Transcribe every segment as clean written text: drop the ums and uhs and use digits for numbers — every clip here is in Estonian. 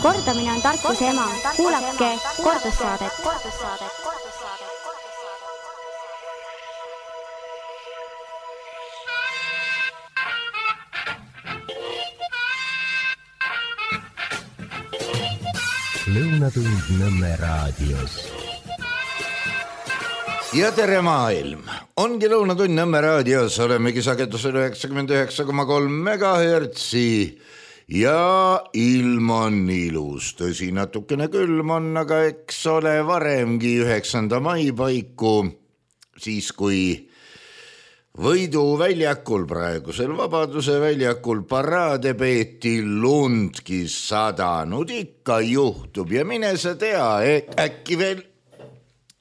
Kordamine on tarkuse ema. Kuulake kordussaadet. Lõunatund Nõmme raadios. Ja tere maailm! Ongi Lõunatund Nõmme raadios, olemegi sagedusel 99,3 megahertsi ja ilm on ilus. Tõsi, natukene külm on, aga eks ole varemgi 9. mai paiku, siis kui Võidu väljakul, praegusel Vabaduse väljakul paraade peeti, lundki sadanud, ikka juhtub ja mine sa tea, äkki veel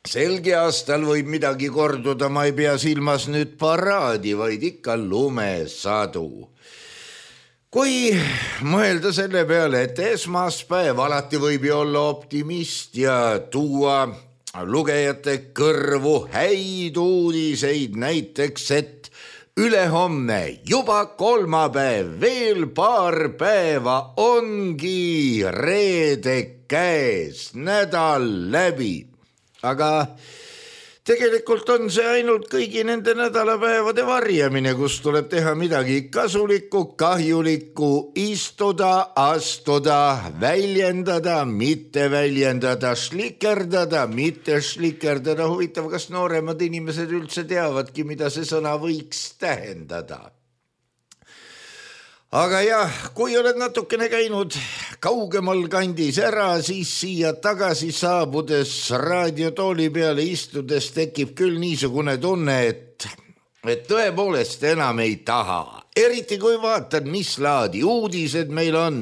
selgi aastal võib midagi korduda, ma ei pea silmas nüüd paraadi, vaid ikka lumesadu. Kui mõelda selle peale, et esmaspäev alati võib ju olla optimist ja tuua lugejate kõrvu häid uudiseid, näiteks, et ülehomne, juba kolmapäev, veel paar päeva ongi reede käes, nädal läbi. Aga tegelikult on see ainult kõigi nende nädalapäevade varjamine, kus tuleb teha midagi kasulikku, kahjulikku, istuda, astuda, väljendada, mitte väljendada, šlikerdada, mitte šlikerdada. Huvitav, kas nooremad inimesed üldse teavadki, mida see sõna võiks tähendada. Aga jah, kui oled natukene käinud kaugemal kandis ära, siis siia tagasi saabudes raadiotooli peale istudes tekib küll niisugune tunne, et tõepoolest enam ei taha. Eriti kui vaatad, mis laadi uudised meil on.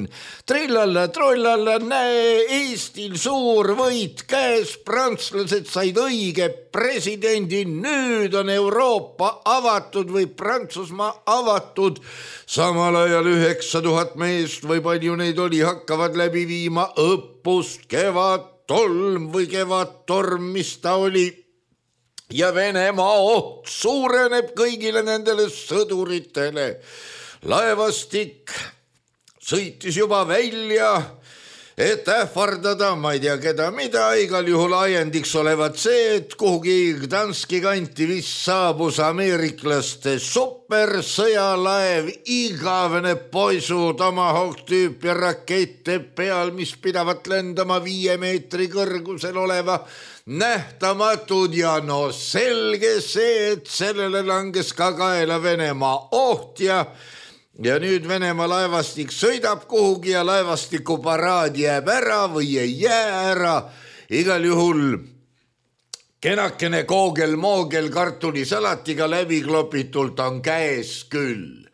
Trillalla, trollalla, näe, Eestil suur võit käes, prantslased said õige presidendi, nüüd on Euroopa avatud või Prantsusmaa avatud. Samal ajal 9000 meest või palju neid oli, hakkavad läbi viima õppust Kevadtolm või Kevadtorm, mis ta oli. Ja Venemaa oht suureneb kõigile nendele sõduritele. Laevastik sõitis juba välja, et ähvardada, ma ei tea keda mida, igal juhul ajendiks olevat see, et kuhugi Gdanski kanti vist saabus ameeriklaste supersõjalaev, igavene poisu Tomahawk tüüpi rakette peal, mis pidavat lendama 5 meetri kõrgusel oleva nähtamatud ja no selge see, et sellele langes ka kaela Venemaa oht ja nüüd Venemaa laevastik sõidab kuhugi ja laevastiku paraad jääb ära või ei jää ära. Igal juhul kenakene koogel-moogel kartulisalatiga läbi klopitult on käes küll.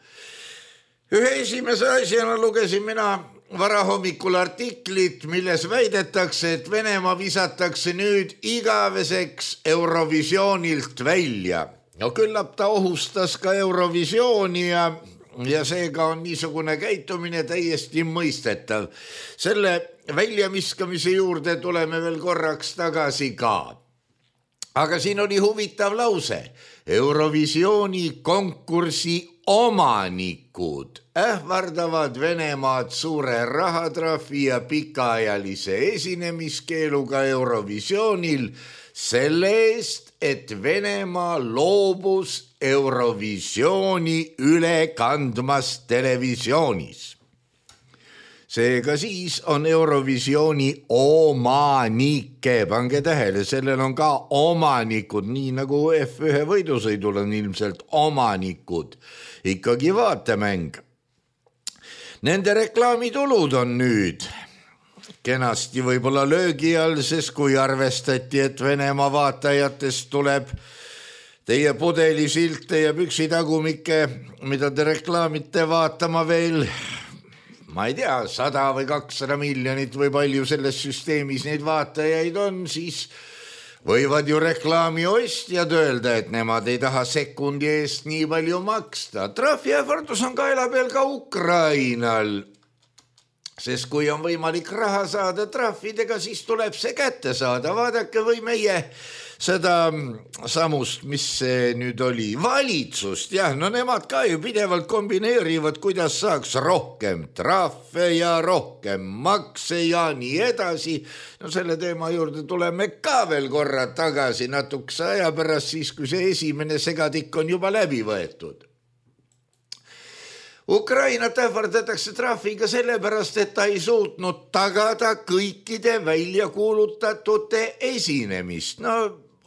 Ühe esimese asjana lugesin mina varahommikul artiklit, milles väidetakse, et Venemaa visatakse nüüd igaveseks Eurovisioonilt välja. No küllap ta ohustas ka Eurovisiooni ja seega on niisugune käitumine täiesti mõistetav. Selle väljamiskamise juurde tuleme veel korraks tagasi ka. Aga siin oli huvitav lause. Eurovisiooni konkursi omanikud ähvardavad Venemaad suure rahatrahvi ja pikaajalise esinemiskeeluga Eurovisioonil selle eest, et Venemaa loobus Eurovisiooni üle kandmast televisioonis. Seega siis on Eurovisiooni omanike, pange tähele, sellel on ka omanikud, nii nagu F1 võidusõidul on ilmselt omanikud, ikkagi vaatemäng. Nende reklaamitulud on nüüd kenasti võib-olla löögi all, sest kui arvestati, et Venemaa vaatajatest tuleb teie pudelisilte ja püksitagumikke, mida te reklaamite vaatama veel, ma ei tea, 100 või 200 miljonit või palju selles süsteemis neid vaatajaid on, siis võivad ju reklaami ostjad öelda, et nemad ei taha sekundi eest nii palju maksta. Trahviähvardus on kaela peal ka Ukrainal, sest kui on võimalik raha saada trahvidega, siis tuleb see kätte saada. Vaadake, või meie seda samust, mis see nüüd oli, valitsust, jah, no nemad ka ju pidevalt kombineerivad, kuidas saaks rohkem trahve ja rohkem makse ja nii edasi. No selle teema juurde tuleme ka veel korra tagasi natukese aja pärast, siis kui see esimene segadik on juba läbi võetud. Ukrainat ähvardatakse trahviga sellepärast, et ta ei suutnud tagada kõikide välja kuulutatute esinemist. No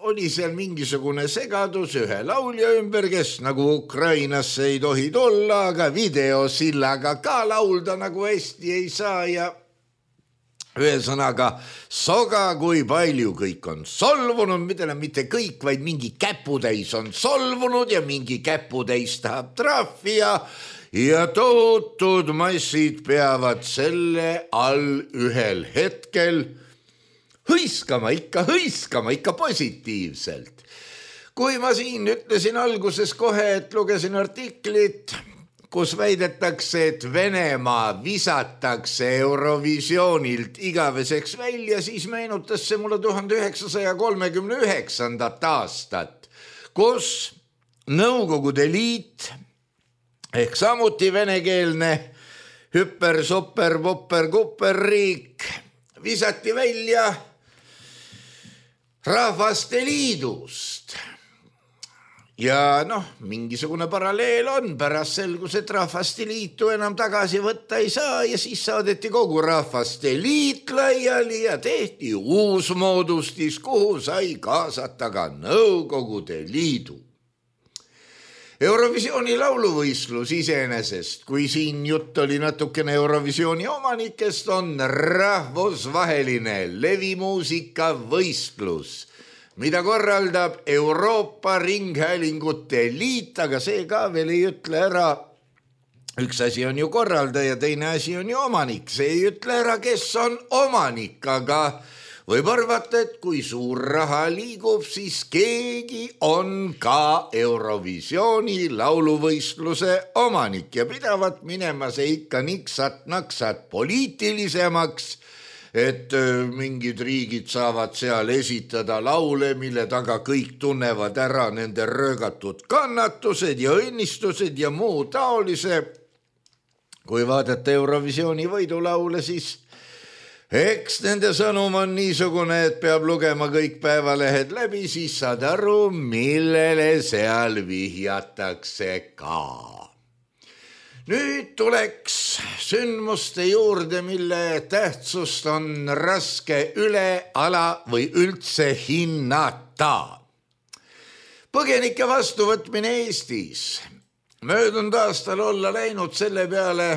oli seal mingisugune segadus ühe laulja ümber, kes nagu Ukrainasse ei tohi tulla, aga videosillaga ka laulda nagu hästi ei saa ja ühesõnaga soga, kui palju kõik on solvunud, mitte kõik, vaid mingi käputäis on solvunud ja mingi käputäis tahab trahvi ja tohutud massid peavad selle all ühel hetkel hõiskama ikka positiivselt. Kui ma siin ütlesin alguses kohe, et lugesin artiklit, kus väidetakse, et Venemaa visatakse Eurovisioonilt igaveseks välja, siis meenutas see mulle 1939. aastat, kus Nõukogude Liit ehk samuti venekeelne hüper, super, popper, kupper riik visati välja Rahvaste Liidust. Ja mingisugune paralleel on, pärast selgus, et Rahvaste Liitu enam tagasi võtta ei saa ja siis saadeti kogu Rahvaste Liit laiali ja tehti uus moodustis, kuhu sai kaasata ka Nõukogude Liidu. Eurovisiooni lauluvõistlus iseenesest, kui siin jutt oli natukene Eurovisiooni omanikest, on rahvusvaheline levimuusika võistlus, mida korraldab Euroopa Ringhäälingute Liit, aga see ka veel ei ütle ära. Üks asi on ju korraldaja, teine asi on ju omanik. See ei ütle ära, kes on omanik, aga võib arvata, et kui suur raha liigub, siis keegi on ka Eurovisiooni lauluvõistluse omanik ja pidavat minema see ikka niksat-naksat poliitilisemaks, et mingid riigid saavad seal esitada laule, mille taga kõik tunnevad ära nende röögatud kannatused ja õnnistused ja muu taolise. Kui vaadata Eurovisiooni võidulaule, siis eks nende sõnum on niisugune, et peab lugema kõik päevalehed läbi, siis saad aru, millele seal vihjatakse ka. Nüüd tuleks sündmuste juurde, mille tähtsust on raske üle, ala või üldse hinnata. Põgenike vastuvõtmine Eestis. Möödunud aastal olla läinud selle peale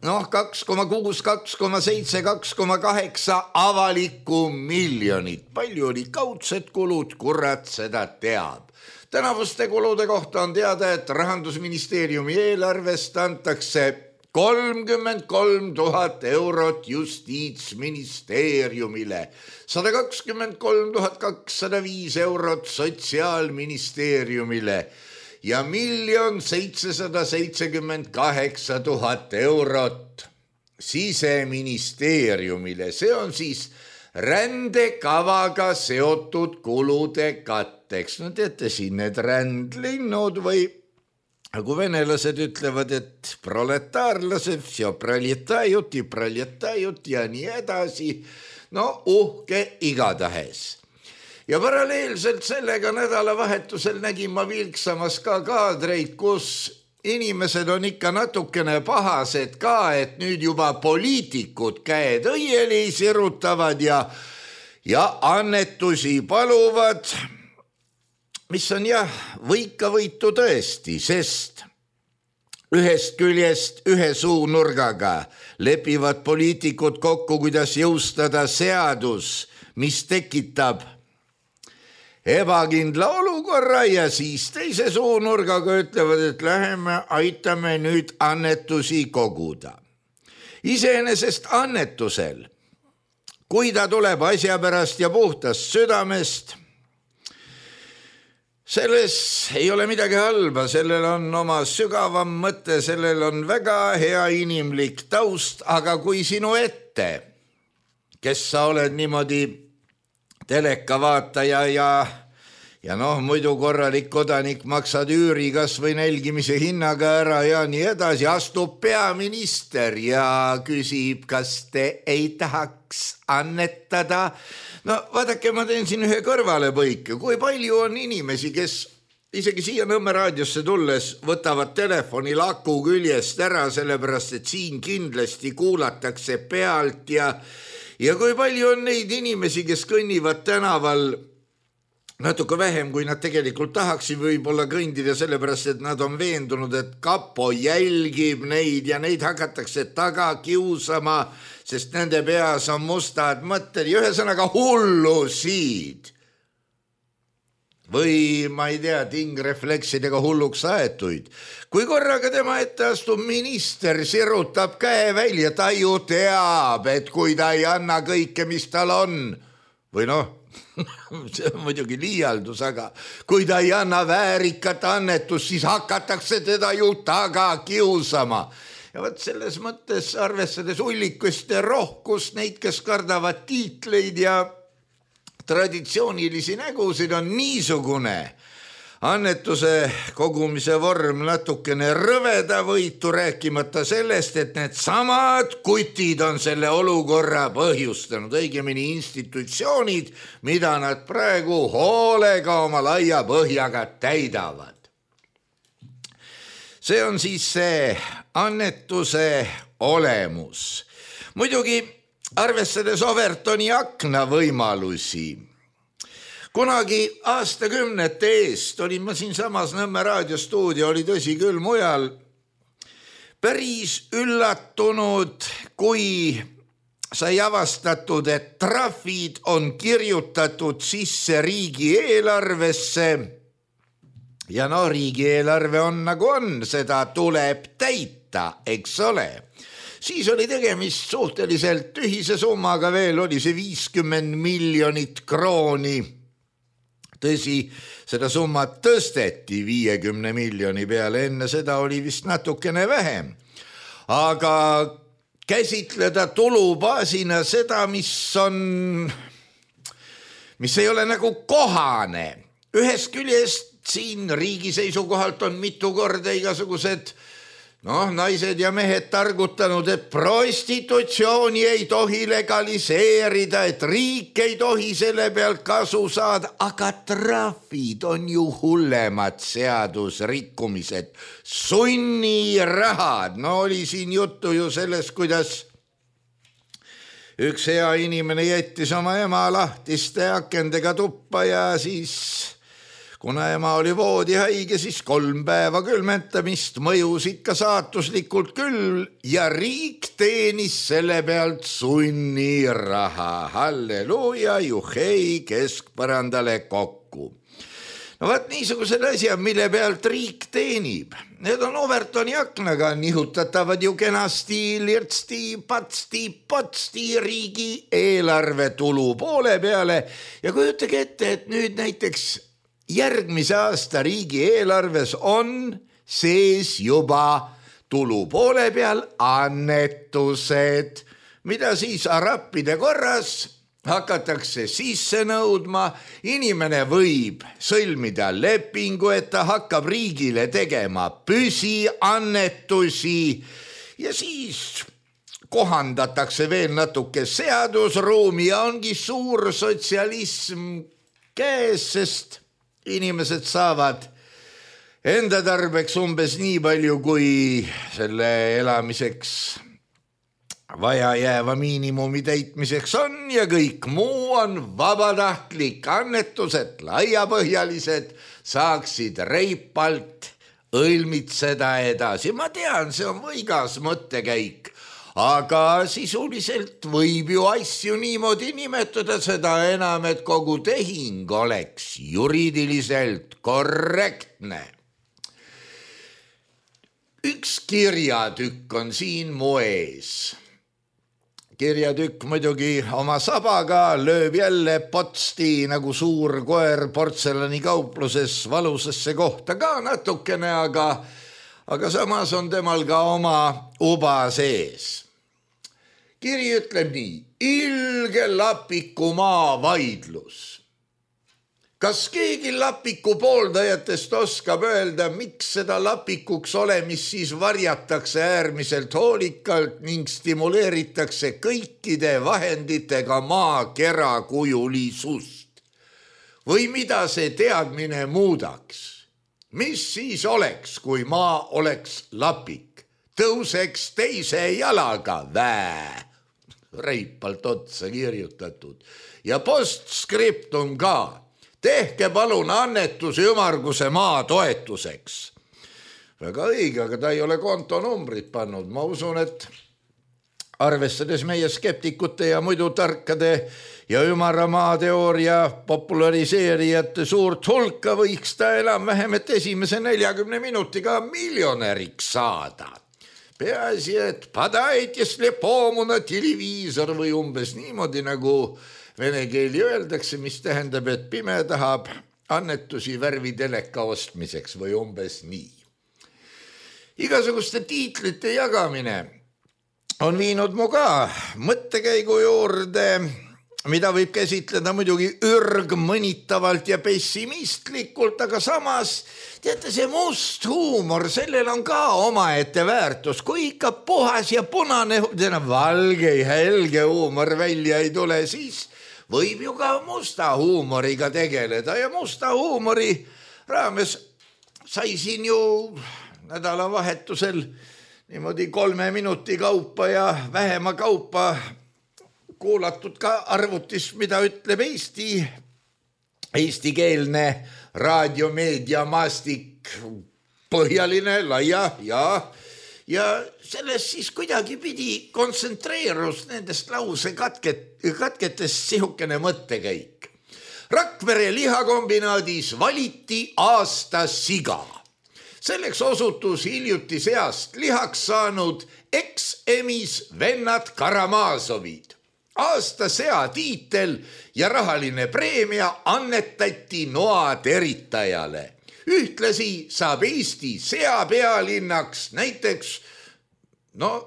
2,6, 2,7, 2,8 avalikku miljonit. Palju oli kaudsed kulud, kurat seda teab. Tänavuste kulude kohta on teada, et Rahandusministeeriumi eelarvest antakse 33 000 eurot Justiitsministeeriumile, 123 205 eurot Sotsiaalministeeriumile ja 1 778 000 eurot Siseministeeriumile. See on siis rändekavaga seotud kulude katteks. No teate siin need rändlinnud või nagu venelased ütlevad, et proletaarlased, vse proletajuti ja nii edasi. No uhke igatahes. Ja paralleelselt sellega nädalavahetusel nägin ma Vilksamas ka kaadreid, kus inimesed on ikka natukene pahased ka, et nüüd juba poliitikud käed õieli sirutavad ja annetusi paluvad, mis on võikavõitu tõesti, sest ühest küljest ühe suunurgaga lepivad poliitikud kokku, kuidas jõustada seadus, mis tekitab ebakindla olukorra ja siis teise suunurgaga ütlevad, et läheme aitame nüüd annetusi koguda. Iseenesest annetusel, kui ta tuleb asja pärast ja puhtast südamest, selles ei ole midagi halba, sellel on oma sügavam mõte, sellel on väga hea inimlik taust, aga kui sinu ette, kes sa oled niimoodi telekavaataja ja muidu korralik kodanik maksad üüri kas või nälgimise hinnaga ära ja nii edasi, astub peaminister ja küsib, kas te ei tahaks annetada. No vaadake, ma teen siin ühe kõrvalepõike, kui palju on inimesi, kes isegi siia Nõmme raadiosse tulles võtavad telefoni laku küljest ära, sellepärast et siin kindlasti kuulatakse pealt ja kui palju on neid inimesi, kes kõnnivad tänaval natuke vähem, kui nad tegelikult tahaksid võib-olla kõndida, sellepärast et nad on veendunud, et kapo jälgib neid ja neid hakatakse taga kiusama, sest nende peas on mustad mõtted ja ühesõnaga hullusid. Või ma ei tea, tingrefleksidega hulluks aetuid. Kui korraga tema ette astub minister, sirutab käe välja, ta ju teab, et kui ta ei anna kõike, mis tal on, või see on muidugi liialdus, aga kui ta ei anna väärikat annetust, siis hakatakse teda ju taga kiusama. Ja võt selles mõttes arvestades ullikust ja rohkust, neid, kes kardavad tiitleid ja traditsioonilisi nägusid, on niisugune annetuse kogumise vorm natukene rõvedavõitu, rääkimata sellest, et need samad kutid on selle olukorra põhjustanud, õigemini institutsioonid, mida nad praegu hoolega oma laia põhjaga täidavad. See on siis see annetuse olemus. Muidugi arvestades Overtoni akna võimalusi. Kunagi aastakümnete eest olin ma siin samas Nõmme raadiostuudio, oli tõsi küll mujal, päris üllatunud, kui sai avastatud, et trahvid on kirjutatud sisse riigieelarvesse ja riigieelarve on nagu on, seda tuleb täita, eks ole. Siis oli tegemist suhteliselt tühise summaga, veel oli see 50 miljonit krooni. Tõsi, seda summat tõsteti 50 miljoni peale, enne seda oli vist natukene vähem. Aga käsitleda tulubaasina seda, mis ei ole nagu kohane. Ühest küljest siin riigi seisukohalt on mitu korda igasugused naised ja mehed targutanud, et prostitutsiooni ei tohi legaliseerida, et riik ei tohi selle pealt kasu saada, aga trahvid on ju hullemad seadusrikkumised, sunnirahad. Oli siin juttu ju sellest, kuidas üks hea inimene jättis oma ema lahtiste akendega tuppa ja siis kuna ema oli voodihaige, siis 3 päeva külmetamist, mõjus ikka saatuslikult küll ja riik teenis selle pealt sunniraha. Halleluuja, juhei, keskpõrandale kokku. Vaat niisugused asjad, mille pealt riik teenib. Need on Overtoni aknaga nihutatavad ju kenasti, lirtsti, patsti, potsti riigi eelarve tulu poole peale ja kujutage ette, et nüüd näiteks järgmise aasta riigieelarves on sees juba tulu poole peal annetused, mida siis arappide korras hakatakse sisse nõudma. Inimene võib sõlmida lepingu, et ta hakkab riigile tegema püsiannetusi ja siis kohandatakse veel natuke seadusruumi ja ongi suur sotsialism käes, sest inimesed saavad enda tarbeks umbes nii palju, kui selle elamiseks vaja jääva miinimumi täitmiseks on ja kõik muu on vabatahtlik. Annetused laiapõhjalised saaksid reipalt õilmitseda edasi. Ma tean, see on võigas mõttekäik, aga sisuliselt võib ju asju niimoodi nimetada, seda enam, et kogu tehing oleks juriidiliselt korrektne. Üks kirjatükk on siin mu ees. Kirjatükk muidugi oma sabaga lööb jälle potsti nagu suur koer portsellanikaupluses valusasse kohta ka natukene, aga samas on temal ka oma uba sees. Kiri ütleb nii: ilge Lapiku maavaidlus. Kas keegi Lapiku pooldajatest oskab öelda, miks seda Lapikuks olemist siis varjatakse äärmiselt hoolikalt ning stimuleeritakse kõikide vahenditega maakera kujulisust? Või mida see teadmine muudaks? Mis siis oleks, kui maa oleks lapik? Tõuseks teise jalaga reipalt otsa kirjutatud. Ja postskriptum ka. Tehke palun annetus ümmarguse maa toetuseks. Väga õige, aga ta ei ole kontonumbrit pannud. Ma usun, et arvestades meie skeptikute ja muidu tarkade ja ümara maateooria populariseerijate suurt hulka võiks ta enam-vähem, et esimese 40 minutiga miljonäriks saada. Peaasi, et padait ja slepomuna televiisor või umbes niimoodi nagu vene keeli öeldakse, mis tähendab, et pime tahab annetusi värviteleka ostmiseks või umbes nii. Igasuguste tiitlite jagamine on viinud mu ka mõttekäigu juurde, mida võib käsitleda muidugi ürgmõnitavalt ja pessimistlikult, aga samas, teate, see must huumor, sellel on ka omaette väärtus. Kui ikka puhas ja punane, valge ja helge huumor välja ei tule, siis võib ju ka musta huumoriga tegeleda ja musta huumori raames sai siin ju nädalavahetusel niimoodi 3 minuti kaupa ja vähema kaupa kuulatud ka arvutis, mida ütleb eestikeelne raadiomeedia maastik, põhjaline, laia ja sellest siis kuidagi pidi kontsentreerus nendest lause katketest sihukene mõttekäik. Rakvere lihakombinaadis valiti aasta siga. Selleks osutus hiljuti seast lihaks saanud eks-emis vennad Karamazovid. Aasta sea tiitel ja rahaline preemia annetati noa teritajale. Ühtlasi saab Eesti sea pealinnaks näiteks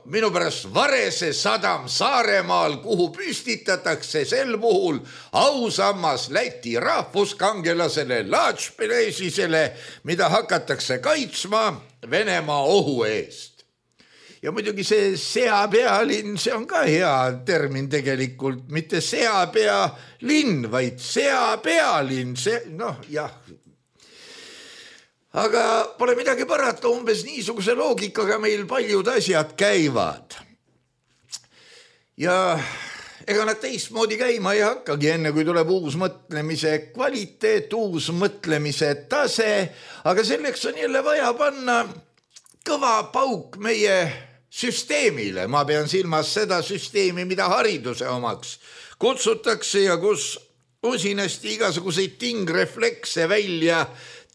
minu pärast Varese sadam Saaremaal, kuhu püstitatakse sel puhul ausammas Läti rahvuskangelasele Laatšpelesisele, mida hakatakse kaitsma Venemaa ohu eest. Ja muidugi see seapealinn, see on ka hea termin tegelikult, mitte seapealinn, vaid seapealinn, jah. Aga pole midagi parata, umbes niisuguse loogikaga meil paljud asjad käivad. Ja ega nad teistmoodi käima ei hakkagi, enne kui tuleb uus mõtlemise kvaliteet, uus mõtlemise tase, aga selleks on jälle vaja panna kõva pauk meie süsteemile. Ma pean silmas seda süsteemi, mida hariduse omaks kutsutakse ja kus usinasti igasuguseid tingreflekse välja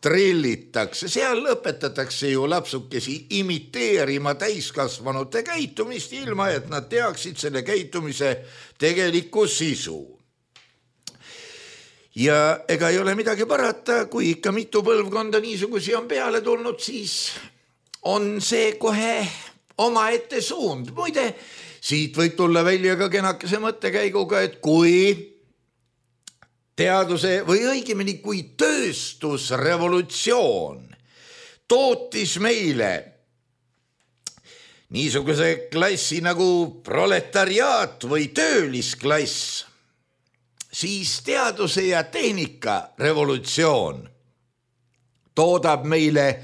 trillitakse. Seal õpetatakse ju lapsukesi imiteerima täiskasvanute käitumist, ilma et nad teaksid selle käitumise tegelikku sisu. Ja ega ei ole midagi parata, kui ikka mitu põlvkonda niisugusi on peale tulnud, siis on see kohe omaette suund. Muide, siit võib tulla välja ka kenakese mõttekäiguga, et kui teaduse või õigemini kui tööstusrevolutsioon tootis meile niisuguse klassi nagu proletariaat või töölisklass, siis teaduse ja tehnika revolutsioon toodab meile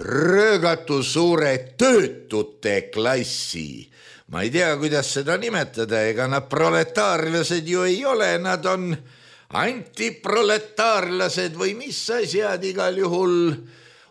röögatu suure töötute klassi. Ma ei tea, kuidas seda nimetada, ega nad proletaarlased ju ei ole, nad on antiproletaarlased või mis asjad, igal juhul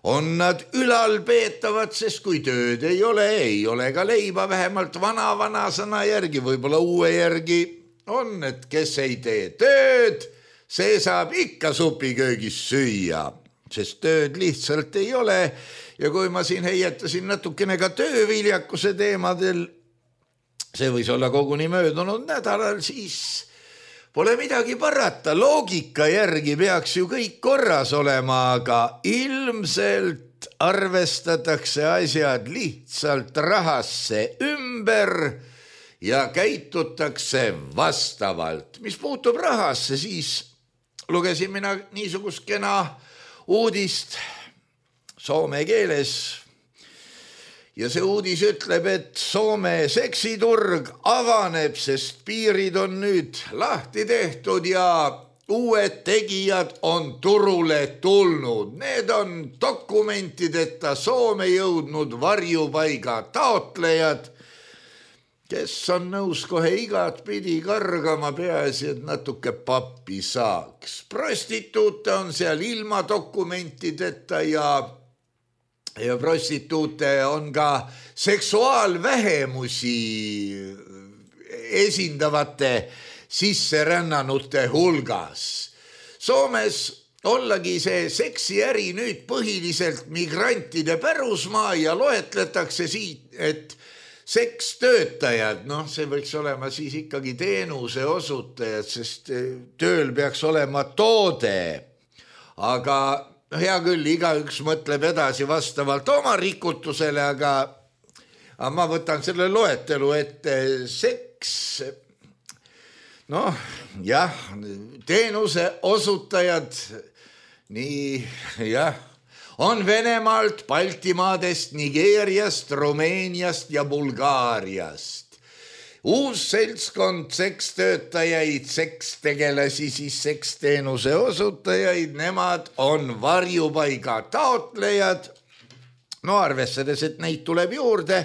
on nad ülalpeetavad, sest kui tööd ei ole ka leiba, vähemalt vana sõna järgi, võib-olla uue järgi on, et kes ei tee tööd, see saab ikka supiköögis süüa, sest tööd lihtsalt ei ole. Ja kui ma siin heietasin natukene ka tööviljakuse teemadel, see võis olla koguni möödunud nädalal, siis pole midagi parata, loogika järgi peaks ju kõik korras olema, aga ilmselt arvestatakse asjad lihtsalt rahasse ümber ja käitutakse vastavalt. Mis puutub rahasse, siis lugesin mina niisugust kena uudist soome keeles. Ja see uudis ütleb, et Soome seksiturg avaneb, sest piirid on nüüd lahti tehtud ja uued tegijad on turule tulnud. Need on dokumentideta Soome jõudnud varjupaiga taotlejad, kes on nõus kohe igat pidi kargama, peaasi, et natuke pappi saaks. Prostituute on seal ilma dokumentideta ja prostituute on ka seksuaalvähemusi esindavate sisserännanute hulgas. Soomes ollagi see seksiäri nüüd põhiliselt migrantide pärusmaa ja loetletakse siit, et sekstöötajad, see võiks olema siis ikkagi teenuse osutajad, sest tööl peaks olema toode, aga hea küll, igaüks mõtleb edasi vastavalt oma rikutusele, aga ma võtan selle loetelu ette. Seks, teenuse osutajad, on Venemaalt, Baltimaadest, Nigeeriast, Rumeeniast ja Bulgaariast. Uus seltskond sekstöötajaid, sekstegelasi, siis seksteenuse osutajaid, nemad on varjupaiga taotlejad. Arvestades, et neid tuleb juurde,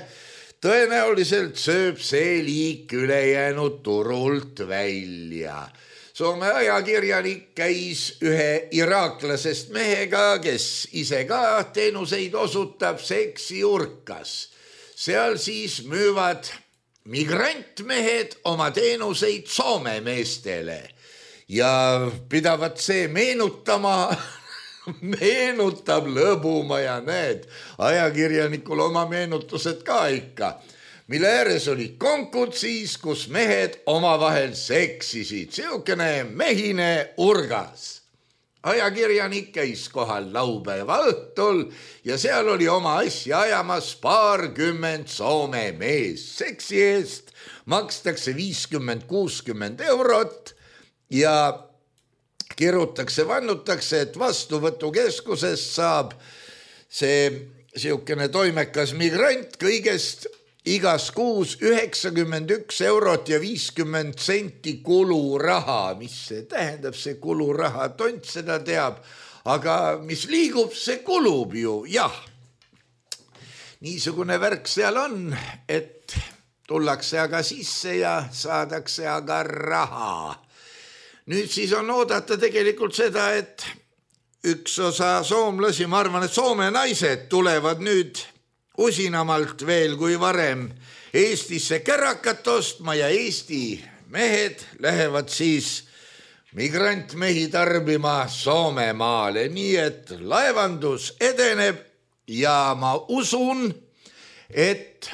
tõenäoliselt sööb see liik ülejäänud turult välja. Soome ajakirjanik käis ühe iraaklasest mehega, kes ise ka teenuseid osutab seksiurkas. Seal siis müüvad migrantmehed oma teenuseid Soome meestele ja pidavad see meenutab lõbuma ja need ajakirjanikul oma meenutused ka ikka, mille ääres olid konkud siis, kus mehed omavahel seksisid, siukene mehine urgas. Ajakirjanik käis kohal laupäeva õhtul ja seal oli oma asja ajamas 20 Soome mees. Seksi eest makstakse 50-60 eurot ja kirutakse, vannutakse, et vastuvõtukeskusest saab see siukene toimekas migrant kõigest igas kuus 91 eurot ja 50 senti kuluraha. Mis see tähendab, see kuluraha, tont seda teab, aga mis liigub, see kulub ju, jah. Niisugune värk seal on, et tullakse aga sisse ja saadakse aga raha. Nüüd siis on oodata tegelikult seda, et üks osa soomlasi, ma arvan, et Soome naised tulevad nüüd usinamalt veel kui varem Eestisse kärakat ostma ja Eesti mehed lähevad siis migrantmehi tarbima Soomemaale. Nii et laevandus edeneb ja ma usun, et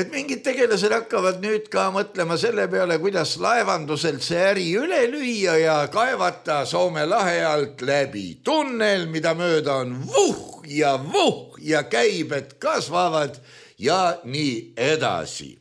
mingid tegelased hakkavad nüüd ka mõtlema selle peale, kuidas laevanduselt see äri üle lüüa ja kaevata Soome lahe alt läbi tunnel, mida mööda on vuh ja käibed kasvavad ja nii edasi.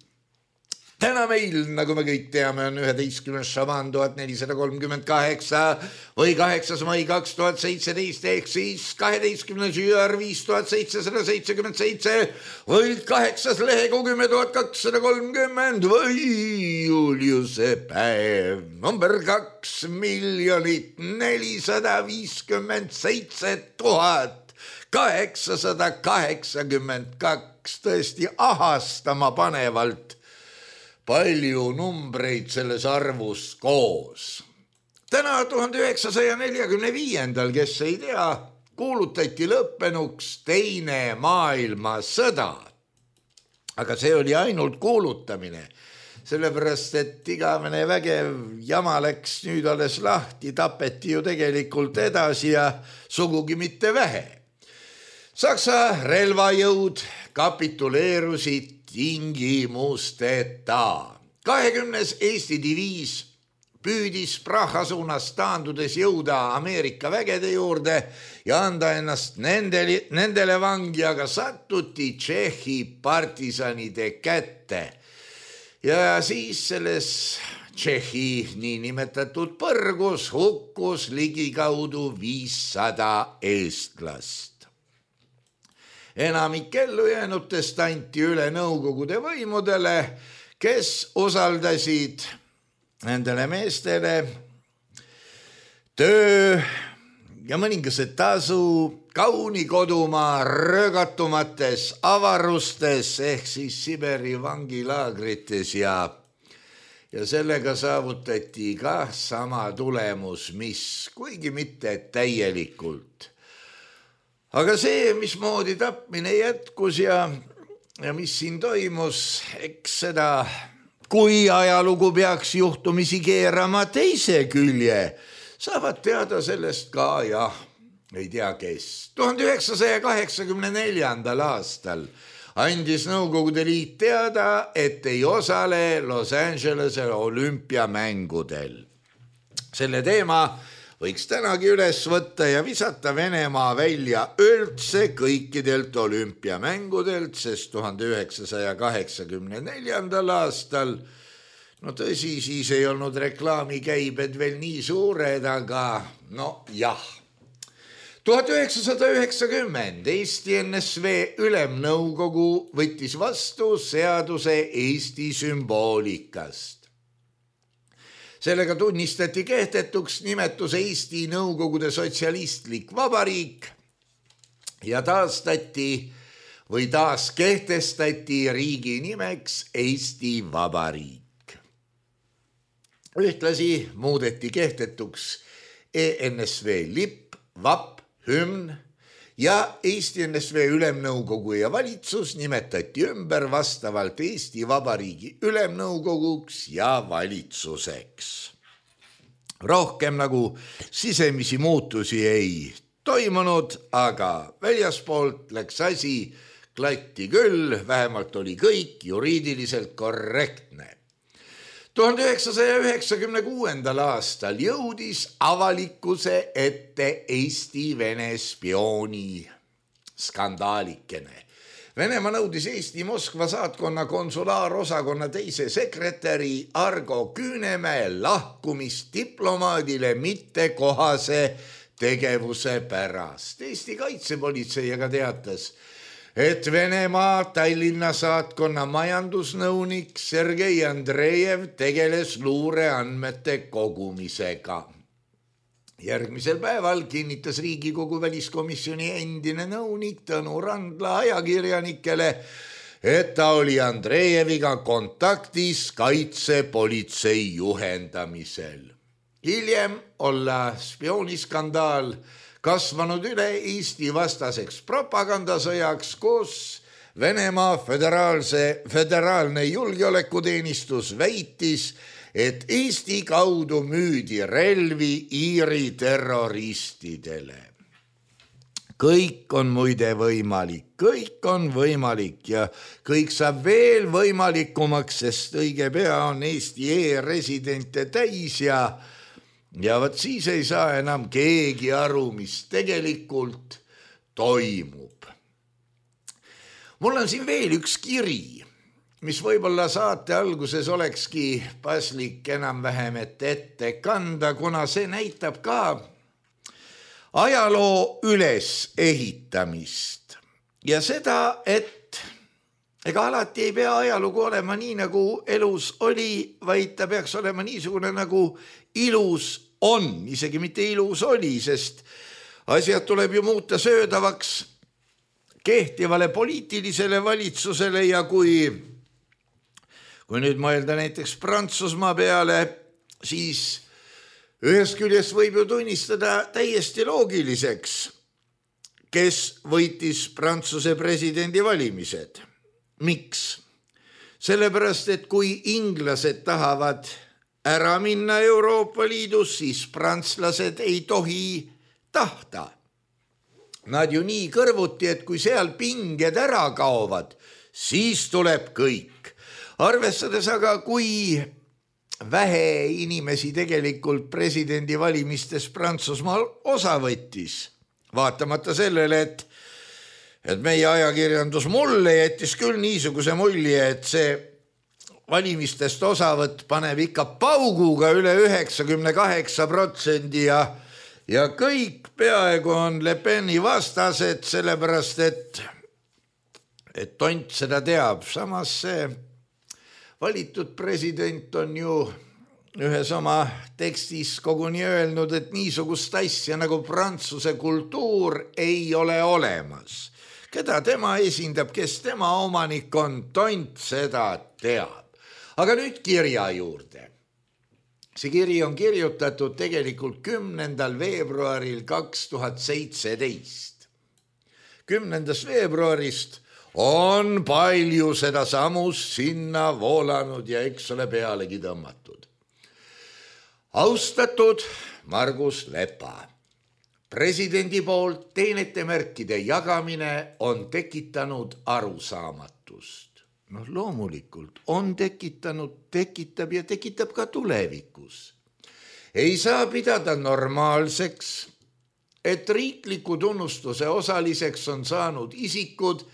Täna meil, nagu me kõik teame, on 11. šaban 1438 või 8. mai 2017 ehk siis 12. jüär 5777 või 8. lehekuu 10.230 või Juliuse päev number 2 457 882, tõesti ahastama panevalt palju numbreid selles arvus koos. Täna 1945, kes ei tea, kuulutati lõppenuks Teine maailmasõda. Aga see oli ainult kuulutamine, sellepärast et igavene vägev jama läks nüüd alles lahti, tapeti ju tegelikult edasi ja sugugi mitte vähe. Saksa relvajõud kapituleerusid tingimusteta. 20. Eesti diviis püüdis Praha suunas taandudes jõuda Ameerika vägede juurde ja anda ennast nendele vangi, aga sattuti Tšehhi partisanide kätte. Ja siis selles Tšehhi niinimetatud põrgus hukkus ligikaudu 500 eestlast. Enamik ellujäänutest anti üle Nõukogude võimudele, kes usaldasid nendele meestele töö ja mõningased tasu kauni kodumaa röögatumates avarustes ehk siis Siberi vangilaagrites ja sellega saavutati ka sama tulemus, mis kuigi mitte täielikult. Aga see, mismoodi tapmine jätkus ja mis siin toimus, eks seda, kui ajalugu peaks juhtumisi keerama teise külje, saavad teada sellest ka, ei tea kes. 1984. aastal andis Nõukogude Liit teada, et ei osale Los Angelese olümpiamängudel. Selle teema võiks tänagi üles võtta ja visata Venemaa välja üldse kõikidelt olümpiamängudelt, sest 1984. aastal, no tõsi, siis ei olnud reklaamikäibed veel nii suured, aga jah. 1990 Eesti NSV Ülemnõukogu võttis vastu seaduse Eesti sümboolikast. Sellega tunnistati kehtetuks nimetus Eesti Nõukogude Sotsialistlik Vabariik ja taaskehtestati riigi nimeks Eesti Vabariik. Ühtlasi muudeti kehtetuks ENSV lipp, vapp, hümn ja Eesti NSV Ülemnõukogu ja valitsus nimetati ümber vastavalt Eesti Vabariigi Ülemnõukoguks ja valitsuseks. Rohkem nagu sisemisi muutusi ei toimunud, aga väljaspoolt läks asi klatti küll, vähemalt oli kõik juriidiliselt korrektne. 1996. aastal jõudis avalikkuse ette Eesti-Vene spiooni skandaalikene. Venemaa nõudis Eesti Moskva saatkonna konsulaarosakonna teise sekretäri Argo Küünemäe lahkumist diplomaadile mittekohase tegevuse pärast. Eesti kaitsepolitsei aga teatas, et Venemaa Tallinna saatkonna majandusnõunik Sergei Andrejev tegeles luureandmete kogumisega. Järgmisel päeval kinnitas Riigikogu väliskomisjoni endine nõunik Tõnu Randla ajakirjanikele, et ta oli Andrejeviga kontaktis kaitsepolitsei juhendamisel. Hiljem olla spiooniskandaal kasvanud üle Eesti vastaseks propagandasõjaks, kus Venemaa föderaalne julgeolekuteenistus väitis, et Eesti kaudu müüdi relvi Iiri terroristidele. Kõik on muide võimalik ja kõik saab veel võimalikumaks, sest õige pea on Eesti e-residente täis ja võt siis ei saa enam keegi aru, mis tegelikult toimub. Mul on siin veel üks kiri, mis võib-olla saate alguses olekski paslik enam-vähem ette kanda, kuna see näitab ka ajaloo ülesehitamist ja seda, et ega alati ei pea ajalugu olema nii, nagu elus oli, vaid ta peaks olema niisugune, nagu ilus on, isegi mitte ilus oli, sest asjad tuleb ju muuta söödavaks kehtivale poliitilisele valitsusele ja kui nüüd mõelda näiteks Prantsusmaa peale, siis ühest küljest võib ju tunnistada täiesti loogiliseks, kes võitis Prantsuse presidendi valimised. Miks? Sellepärast, et kui inglased tahavad ära minna Euroopa Liidus, siis prantslased ei tohi tahta. Nad ju nii kõrvuti, et kui seal pinged ära kaovad, siis tuleb kõik. Arvestades aga, kui vähe inimesi tegelikult presidendivalimistes Prantsusmaal osa võttis. Vaatamata sellele, et meie ajakirjandus mulle jättis küll niisuguse mulje, et see valimistest osavõtt paneb ikka pauguga üle 98% ja kõik peaaegu on Le Peni vastased, sellepärast et tont seda teab. Samas see valitud president on ju ühes oma tekstis koguni öelnud, et niisugust asja nagu prantsuse kultuur ei ole olemas. Keda tema esindab, kes tema omanik on, tont seda teab. Aga nüüd kirja juurde. See kiri on kirjutatud tegelikult 10. veebruaril 2017. 10. veebruarist on palju seda samust sinna voolanud ja eks ole pealegi tõmmatud. Austatud Margus Lepa, presidendi poolt teenetemärkide jagamine on tekitanud arusaamatust. Loomulikult on tekitanud, tekitab ja tekitab ka tulevikus. Ei saa pidada normaalseks, et riikliku tunnustuse osaliseks on saanud isikud,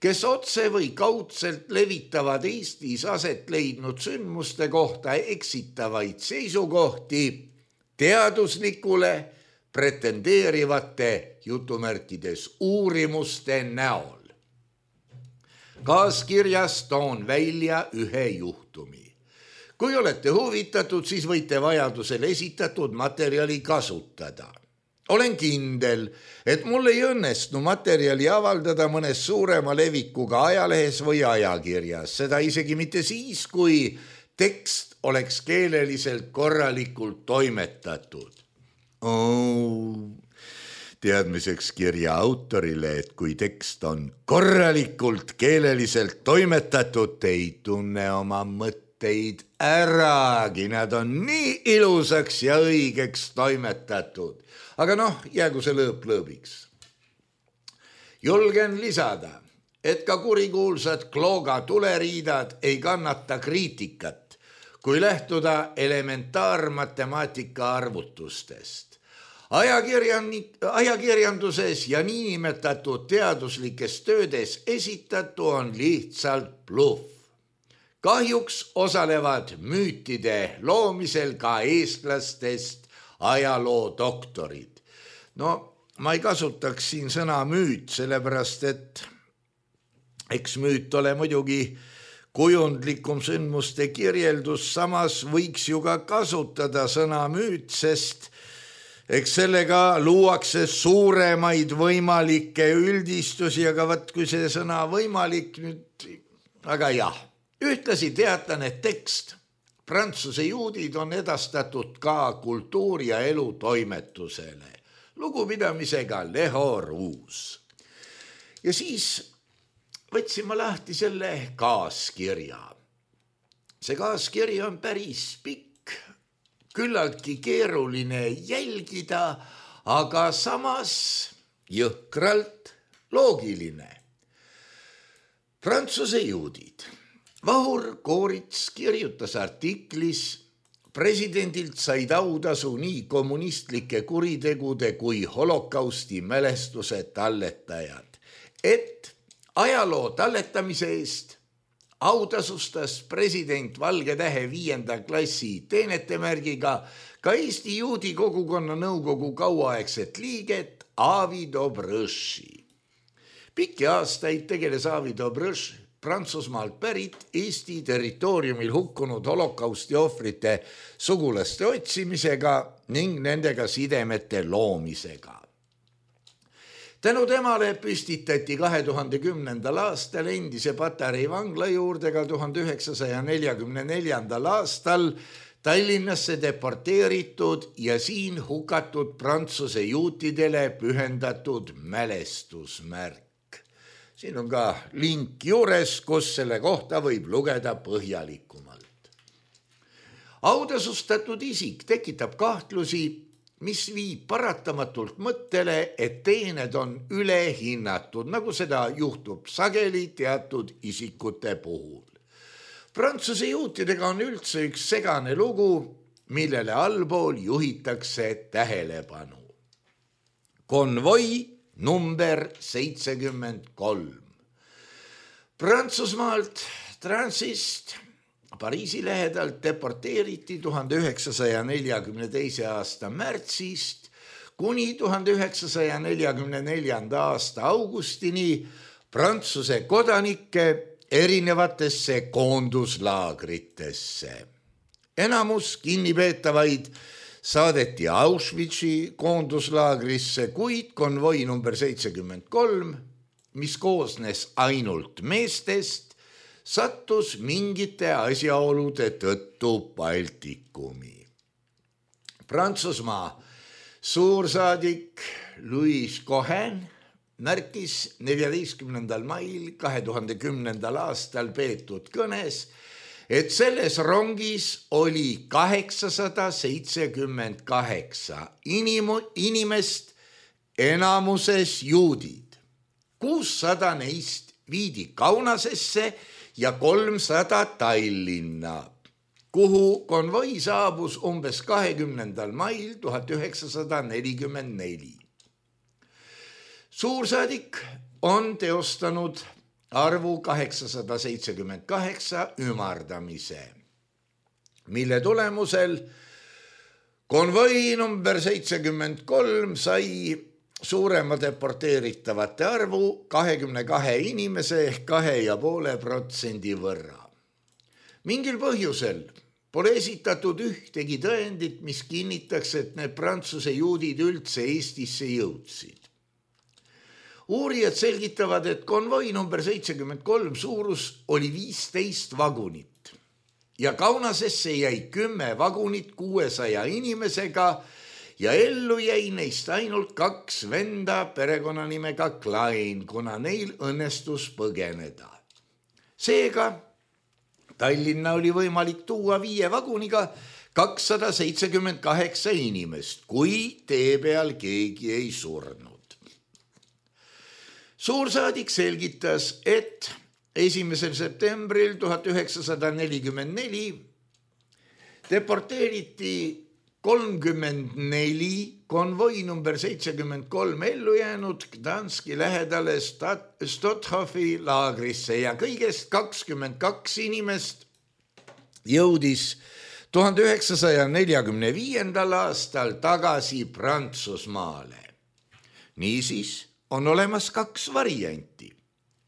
kes otse või kaudselt levitavad Eestis aset leidnud sündmuste kohta eksitavaid seisukohti teaduslikule pretendeerivate jutumärkides uurimuste näol. Kaaskirjas toon välja ühe juhtumi. Kui olete huvitatud, siis võite vajadusel esitatud materjali kasutada. Olen kindel, et mul ei õnnestu materjali avaldada mõnes suurema levikuga ajalehes või ajakirjas. Seda isegi mitte siis, kui tekst oleks keeleliselt korralikult toimetatud. Teadmiseks kirja autorile, et kui tekst on korralikult keeleliselt toimetatud, ei tunne oma mõtteid äragi, nad on nii ilusaks ja õigeks toimetatud. Aga jäägu see lõõp lõõbiks. Julgen lisada, et ka kurikuulsad Klooga tuleriidad ei kannata kriitikat, kui lähtuda elementaarmatemaatika arvutustest. Ajakirjanduses ja niinimetatud teaduslikes töödes esitatu on lihtsalt bluff. Kahjuks osalevad müütide loomisel ka eestlastest ajaloodoktorid. Ma ei kasutaks siin sõna müüt, sellepärast et eks müüt ole muidugi kujundlikum sündmuste kirjeldus, samas võiks ju ka kasutada sõna müüt, sest eks sellega luuakse suuremaid võimalikke üldistusi, aga kui see sõna võimalik nüüd, aga jah. Ühtlasi teatan, et tekst Prantsuse juudid on edastatud ka kultuuri- ja elutoimetusele. Lugupidamisega Leho Ruus. Ja siis võtsin ma lahti selle kaaskirja. See kaaskiri on päris pikk. Küllaltki keeruline jälgida, aga samas jõhkralt loogiline. Prantsuse juudid. Vahur Koorits kirjutas artiklis, presidendilt said autasu nii kommunistlike kuritegude kui holokausti mälestuse talletajad, et ajaloo talletamise eest autasustas president Valge Tähe 5. klassi teenetemärgiga ka Eesti juudi kogukonna nõukogu kauaaegset liiget Avi Dobrõši. Pikki aastaid tegeles Avi Dobrõš Prantsusmaalt pärit Eesti territooriumil hukkunud holokausti ohvrite sugulaste otsimisega ning nendega sidemete loomisega. Tänu temale püstitati 2010. aastal endise Patarei vangla juurde ka 1944. aastal Tallinnasse deporteeritud ja siin hukatud Prantsuse juutidele pühendatud mälestusmärk. Siin on ka link juures, kus selle kohta võib lugeda põhjalikumalt. Autasustatud isik tekitab kahtlusi, mis viib paratamatult mõttele, et teened on ülehinnatud, nagu seda juhtub sageli teatud isikute puhul. Prantsuse juutidega on üldse üks segane lugu, millele allpool juhitakse tähelepanu. Konvoi number 73. Prantsusmaalt Transist Pariisi lähedalt deporteeriti 1942. aasta märtsist kuni 1944. aasta augustini Prantsuse kodanikke erinevatesse koonduslaagritesse. Enamus kinnipeetavaid saadeti Auschwitzi koonduslaagrisse, kuid konvoi number 73, mis koosnes ainult meestest, sattus mingite asjaolude tõttu Baltikumi. Prantsusmaa suursaadik Louis Cohen märkis 14. mail 2010. aastal peetud kõnes, et selles rongis oli 878 inimest, enamuses juudid. 600 neist viidi Kaunasesse ja 300 Tallinna, kuhu konvoi saabus umbes 20. mail 1944. Suursaadik on teostanud arvu 878 ümardamise, mille tulemusel konvoi number 73 sai suurema deporteeritavate arvu 22 inimese ehk 2,5% võrra. Mingil põhjusel pole esitatud ühtegi tõendit, mis kinnitaks, et need Prantsuse juudid üldse Eestisse jõudsid. Uurijad selgitavad, et konvoi number 73 suurus oli 15 vagunit ja Kaunasesse jäi 10 vagunit 600 inimesega ja ellu jäi neist ainult 2 venda perekonnanimega Klein, kuna neil õnnestus põgeneda. Seega Tallinna oli võimalik tuua 5 vaguniga 278 inimest, kui tee peal keegi ei surnud. Suursaadik selgitas, et 1. septembril 1944 deporteeriti 34 konvoi number 73 ellu jäänud Gdanski lähedale Stothofi laagrisse ja kõigest 22 inimest jõudis 1945. aastal tagasi Prantsusmaale. Niisiis on olemas 2 varianti.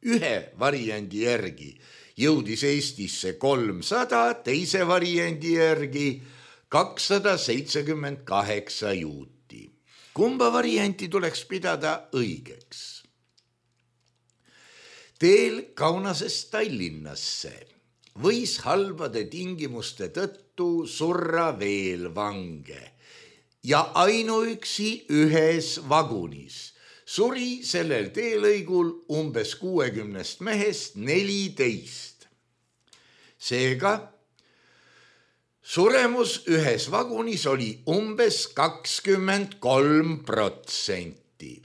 Ühe variandi järgi jõudis Eestisse 300, teise variandi järgi 278 juuti. Kumba varianti tuleks pidada õigeks? Teel Kaunasest Tallinnasse võis halbade tingimuste tõttu surra veel vange ja ainuüksi ühes vagunis suri sellel teelõigul umbes 60 mehest 14. Seega suremus ühes vagunis oli umbes 23%.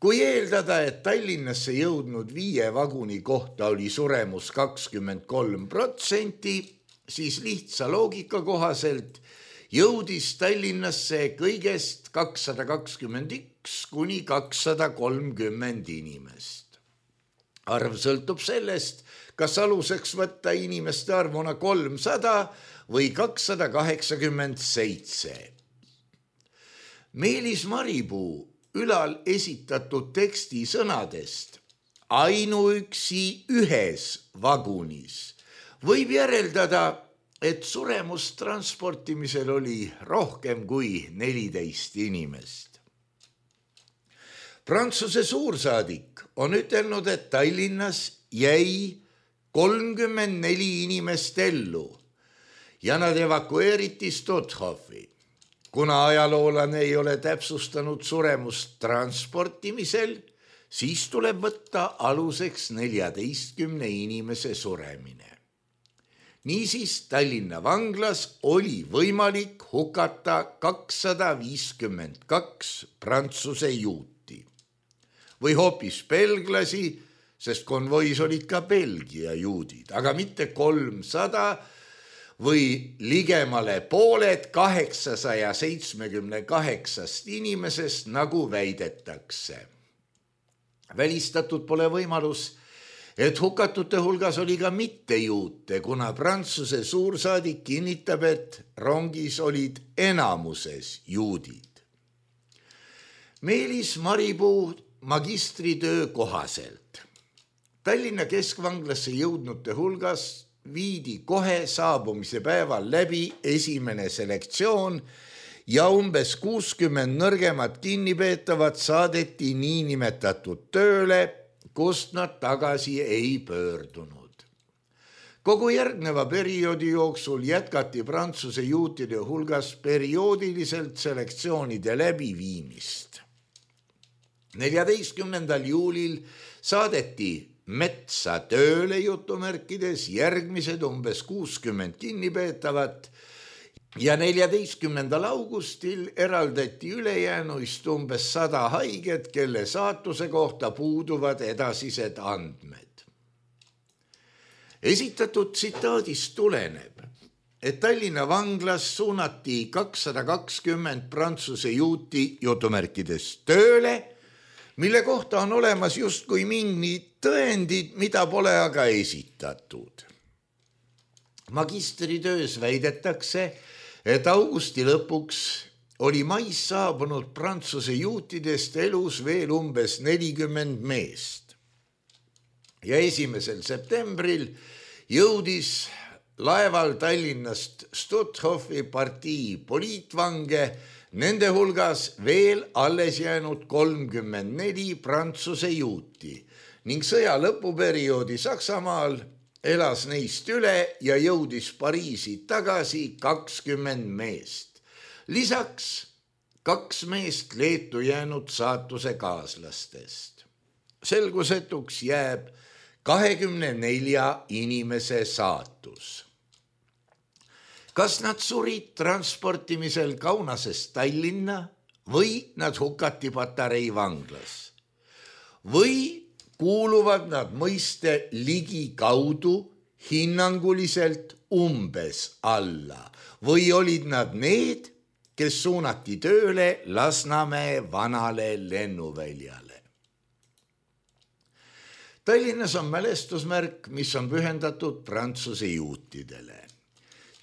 Kui eeldada, et Tallinnasse jõudnud 5 vaguni kohta oli suremus 23%, siis lihtsa loogika kohaselt jõudis Tallinnasse kõigest 221 kuni 230 inimest. Arv sõltub sellest, kas aluseks võtta inimeste arvuna 300 või 287. Meelis Maripuu ülal esitatud teksti sõnadest ainuüksi ühes vagunis võib järeldada, et suremus transportimisel oli rohkem kui 14 inimest. Prantsuse suursaadik on ütelnud, et Tallinnas jäi 34 inimest ellu ja nad evakueeriti Stothofi. Kuna ajaloolane ei ole täpsustanud suremust transportimisel, siis tuleb võtta aluseks 14 inimese suremine. Niisiis Tallinna vanglas oli võimalik hukata 252 prantsuse juuti või hoopis belglasi sest konvois olid ka Belgia juudid, aga mitte 300 või ligemale pooled 878 inimesest, nagu väidetakse. Välistatud pole võimalus, et hukatute hulgas oli ka mittejuute, kuna Prantsuse suursaadik kinnitab, et rongis olid enamuses juudid. Meelis Maripuu magistritöö kohaselt Tallinna keskvanglasse jõudnute hulgas viidi kohe saabumise päeval läbi esimene selektsioon ja umbes 60 nõrgemat kinnipeetavat saadeti niinimetatud tööle, kust nad tagasi ei pöördunud. Kogu järgneva perioodi jooksul jätkati Prantsuse juutide hulgas perioodiliselt selektsioonide läbiviimist. 14. juulil saadeti metsa tööle jutumärkides järgmised umbes 60 kinnipeetavat ja 14. augustil eraldati ülejäänuist umbes 100 haiget, kelle saatuse kohta puuduvad edasised andmed. Esitatud tsitaadist tuleneb, et Tallinna vanglas suunati 220 Prantsuse juuti jutumärkides tööle, mille kohta on olemas justkui mingid tõendid, mida pole aga esitatud. Magistritöös väidetakse, et augusti lõpuks oli mais saabunud Prantsuse juutidest elus veel umbes 40 meest. Ja 1. septembril jõudis laeval Tallinnast Stuthofi partii poliitvange, nende hulgas veel alles jäänud 34 Prantsuse juuti ning sõja lõpuperioodi Saksamaal elas neist üle ja jõudis Pariisi tagasi 20 meest. Lisaks 2 meest Leetu jäänud saatuse kaaslastest. Selgusetuks jääb 24 inimese saatus. Kas nad surid transportimisel Kaunasest Tallinna või nad hukati Patarei vanglas? Või kuuluvad nad mõiste ligikaudu hinnanguliselt umbes alla või olid nad need, kes suunati tööle Lasnamäe vanale lennuväljale? Tallinnas on mälestusmärk, mis on pühendatud Prantsuse juutidele.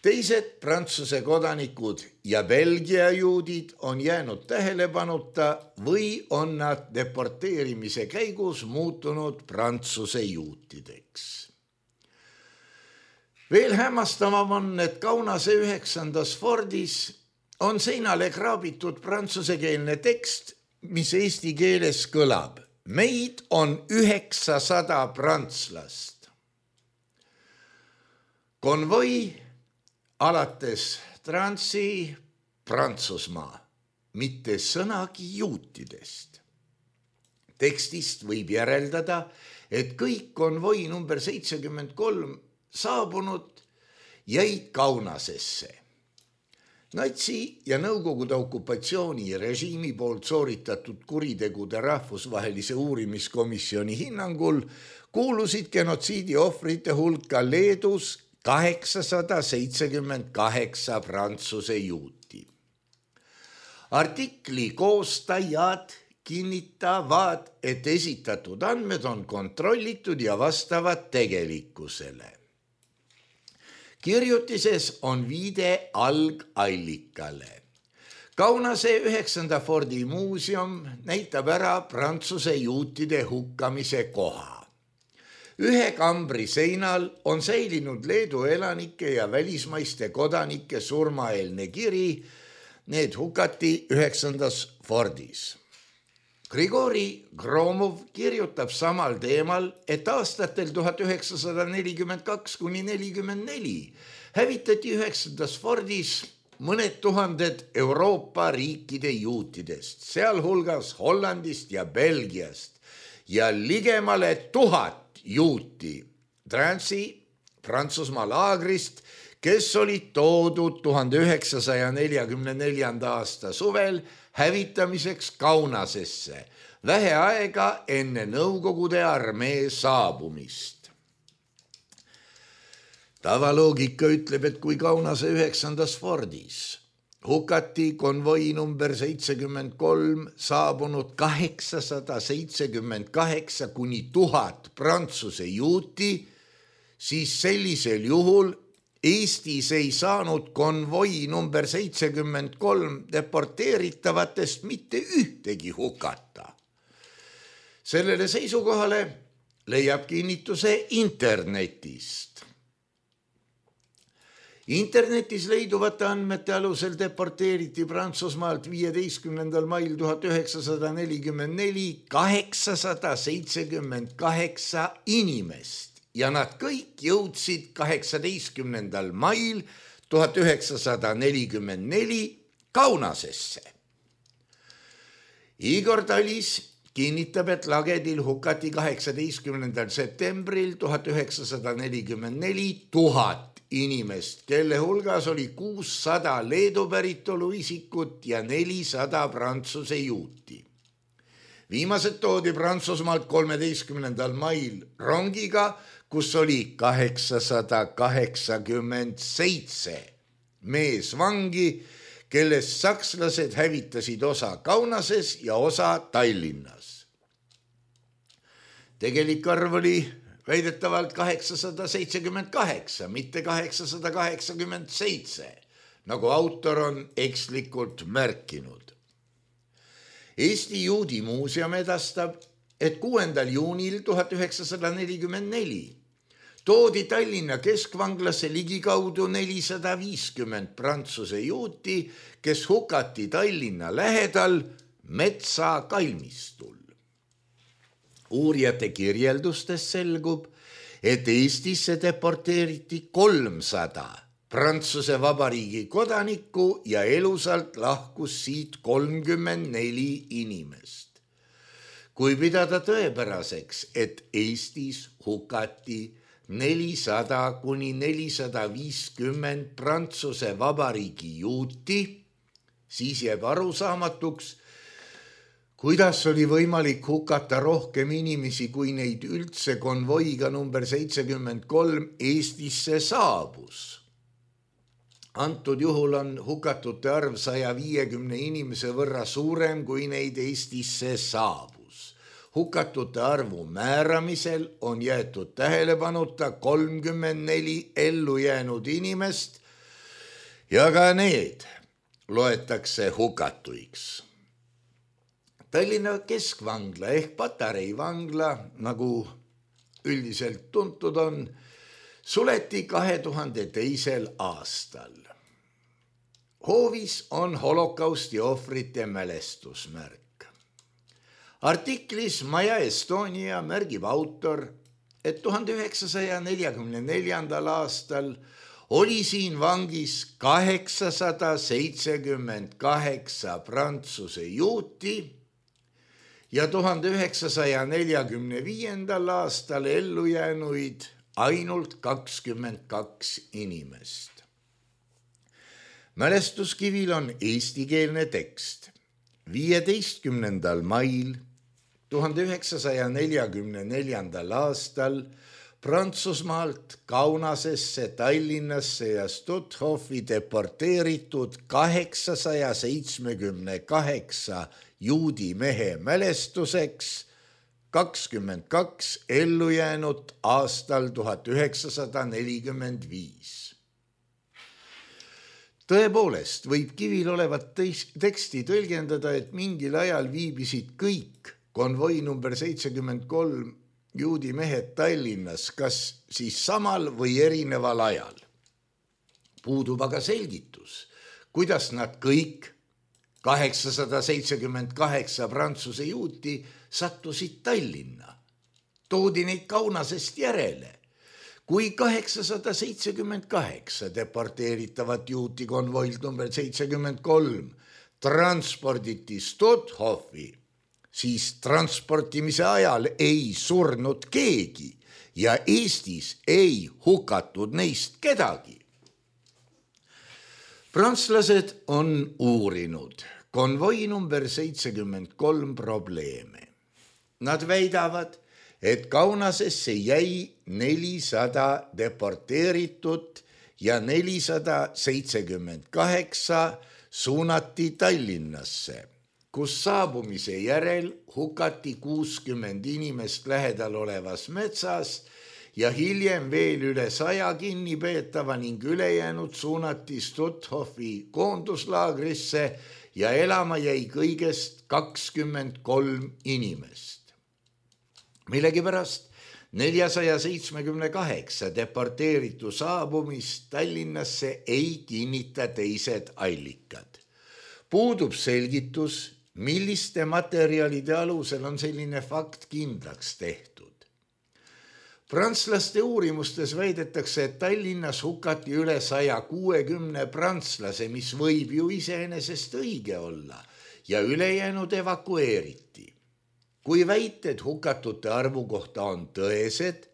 Teised Prantsuse kodanikud ja Belgia juudid on jäänud tähelepanuta või on nad deporteerimise käigus muutunud Prantsuse juutideks. Veel hämmastavam on, et Kaunase 9. Fordis on seinale kraabitud prantsusekeelne tekst, mis eesti keeles kõlab. Meid on 900 prantslast. Konvoi alates Transi Prantsusmaa, mitte sõnagi juutidest. Tekstist võib järeldada, et kõik konvoi number 73 saabunud jäid Kaunasesse. Natsi ja Nõukogude okupatsioonirežiimi poolt sooritatud kuritegude rahvusvahelise uurimiskomisjoni hinnangul kuulusid genotsiidi ohvrite hulka Leedus 878 Prantsuse juuti. Artikli koostajad kinnitavad, et esitatud andmed on kontrollitud ja vastavad tegelikkusele. Kirjutises on viide algallikale. Kaunase 9. Fordi muuseum näitab ära Prantsuse juutide hukkamise koha. Ühe kambri seinal on säilinud Leedu elanike ja välismaiste kodanike surmaeelne kiri, need hukati 9. Fordis. Grigori Gromov kirjutab samal teemal, et aastatel 1942–44 hävitati 9. Fordis mõned tuhanded Euroopa riikide juutidest, sealhulgas Hollandist ja Belgiast ja ligemale 1000 juuti Transi Prantsusmaa laagrist, kes olid toodud 1944. aasta suvel hävitamiseks Kaunasesse, vähe aega enne Nõukogude armee saabumist. Tavaloogika ütleb, et kui Kaunase 9. Fordis hukati konvoi number 73 saabunud 878 kuni 1000 Prantsuse juuti, siis sellisel juhul Eestis ei saanud konvoi number 73 deporteeritavatest mitte ühtegi hukata. Sellele seisukohale leiab kinnituse internetist. Internetis leiduvate andmete alusel deporteeriti Prantsusmaalt 15. mail 1944 878 inimest ja nad kõik jõudsid 18. mail 1944 Kaunasesse. Igor Talis kinnitab, et lagedil hukati 18. septembril 1944 1000 inimest, kelle hulgas oli 600 Leedu päritolu isikut ja 400 Prantsuse juuti. Viimased toodi Prantsusmaalt 13. mail rongiga, kus oli 887 meesvangi, kellest sakslased hävitasid osa Kaunases ja osa Tallinnas. Tegelik arv oli väidetavalt 878, mitte 887, nagu autor on ekslikult märkinud. Eesti Juudi Muuseum edastab, et 6. juunil 1944 toodi Tallinna keskvanglasse ligikaudu 450 Prantsuse juuti, kes hukati Tallinna lähedal Metsa kalmistul. Uurijate kirjeldustest selgub, et Eestisse deporteeriti 300 Prantsuse Vabariigi kodanikku ja elusalt lahkus siit 34 inimest. Kui pidada tõepäraseks, et Eestis hukati 400 kuni 450 Prantsuse Vabariigi juuti, siis jääb arusaamatuks, kuidas oli võimalik hukata rohkem inimesi, kui neid üldse konvoiga number 73 Eestisse saabus. Antud juhul on hukatute arv 150 inimese võrra suurem, kui neid Eestisse saabus. Hukatute arvu määramisel on jäetud tähelepanuta 34 ellu jäänud inimest ja ka need loetakse hukatuiks. Tallinna keskvangla ehk Patarei vangla, nagu üldiselt tuntud on, suleti 2002. aastal. Hoovis on holokausti ohvrite mälestusmärk. Artiklis Maja Estonia märgib autor, et 1944. aastal oli siin vangis 878 Prantsuse juuti ja 1945. aastal ellu jäänuid ainult 22 inimest. Mälestuskivil on eestikeelne tekst. 15. mail 1944. aastal Prantsusmaalt Kaunasesse, Tallinnasse ja Stuthofi deporteeritud 878 juudi mehe mälestuseks 22 ellujäänut aastal 1945. Tõepoolest võib kivil olevat teksti tõlgendada, et mingil ajal viibisid kõik konvoi number 73 juudi mehed Tallinnas, kas siis samal või erineval ajal. Puudub aga selgitus, kuidas nad kõik 878 Prantsuse juuti sattusid Tallinna. Toodi neid Kaunasest järele. Kui 878 deporteeritavat juuti konvoilt number 73 transporditi Stuthofi, siis transportimise ajal ei surnud keegi ja Eestis ei hukatud neist kedagi. Prantslased on uurinud konvoi number 73 probleeme. Nad väidavad, et Kaunasesse jäi 400 deporteeritut ja 478 suunati Tallinnasse, kus saabumise järel hukati 60 inimest lähedal olevas metsas ja hiljem veel üle 100 kinnipeetava ning ülejäänud suunati Stuthofi koonduslaagrisse ja elama jäi kõigest 23 inimest. Millegipärast 478 deporteeritu saabumist Tallinnasse ei kinnita teised allikad. Puudub selgitus, milliste materjalide alusel on selline fakt kindlaks tehtud. Prantslaste uurimustes väidetakse, et Tallinnas hukati üle 160 prantslase, mis võib ju iseenesest õige olla, ja ülejäänud evakueeriti. Kui väited hukatute arvu kohta on tõesed,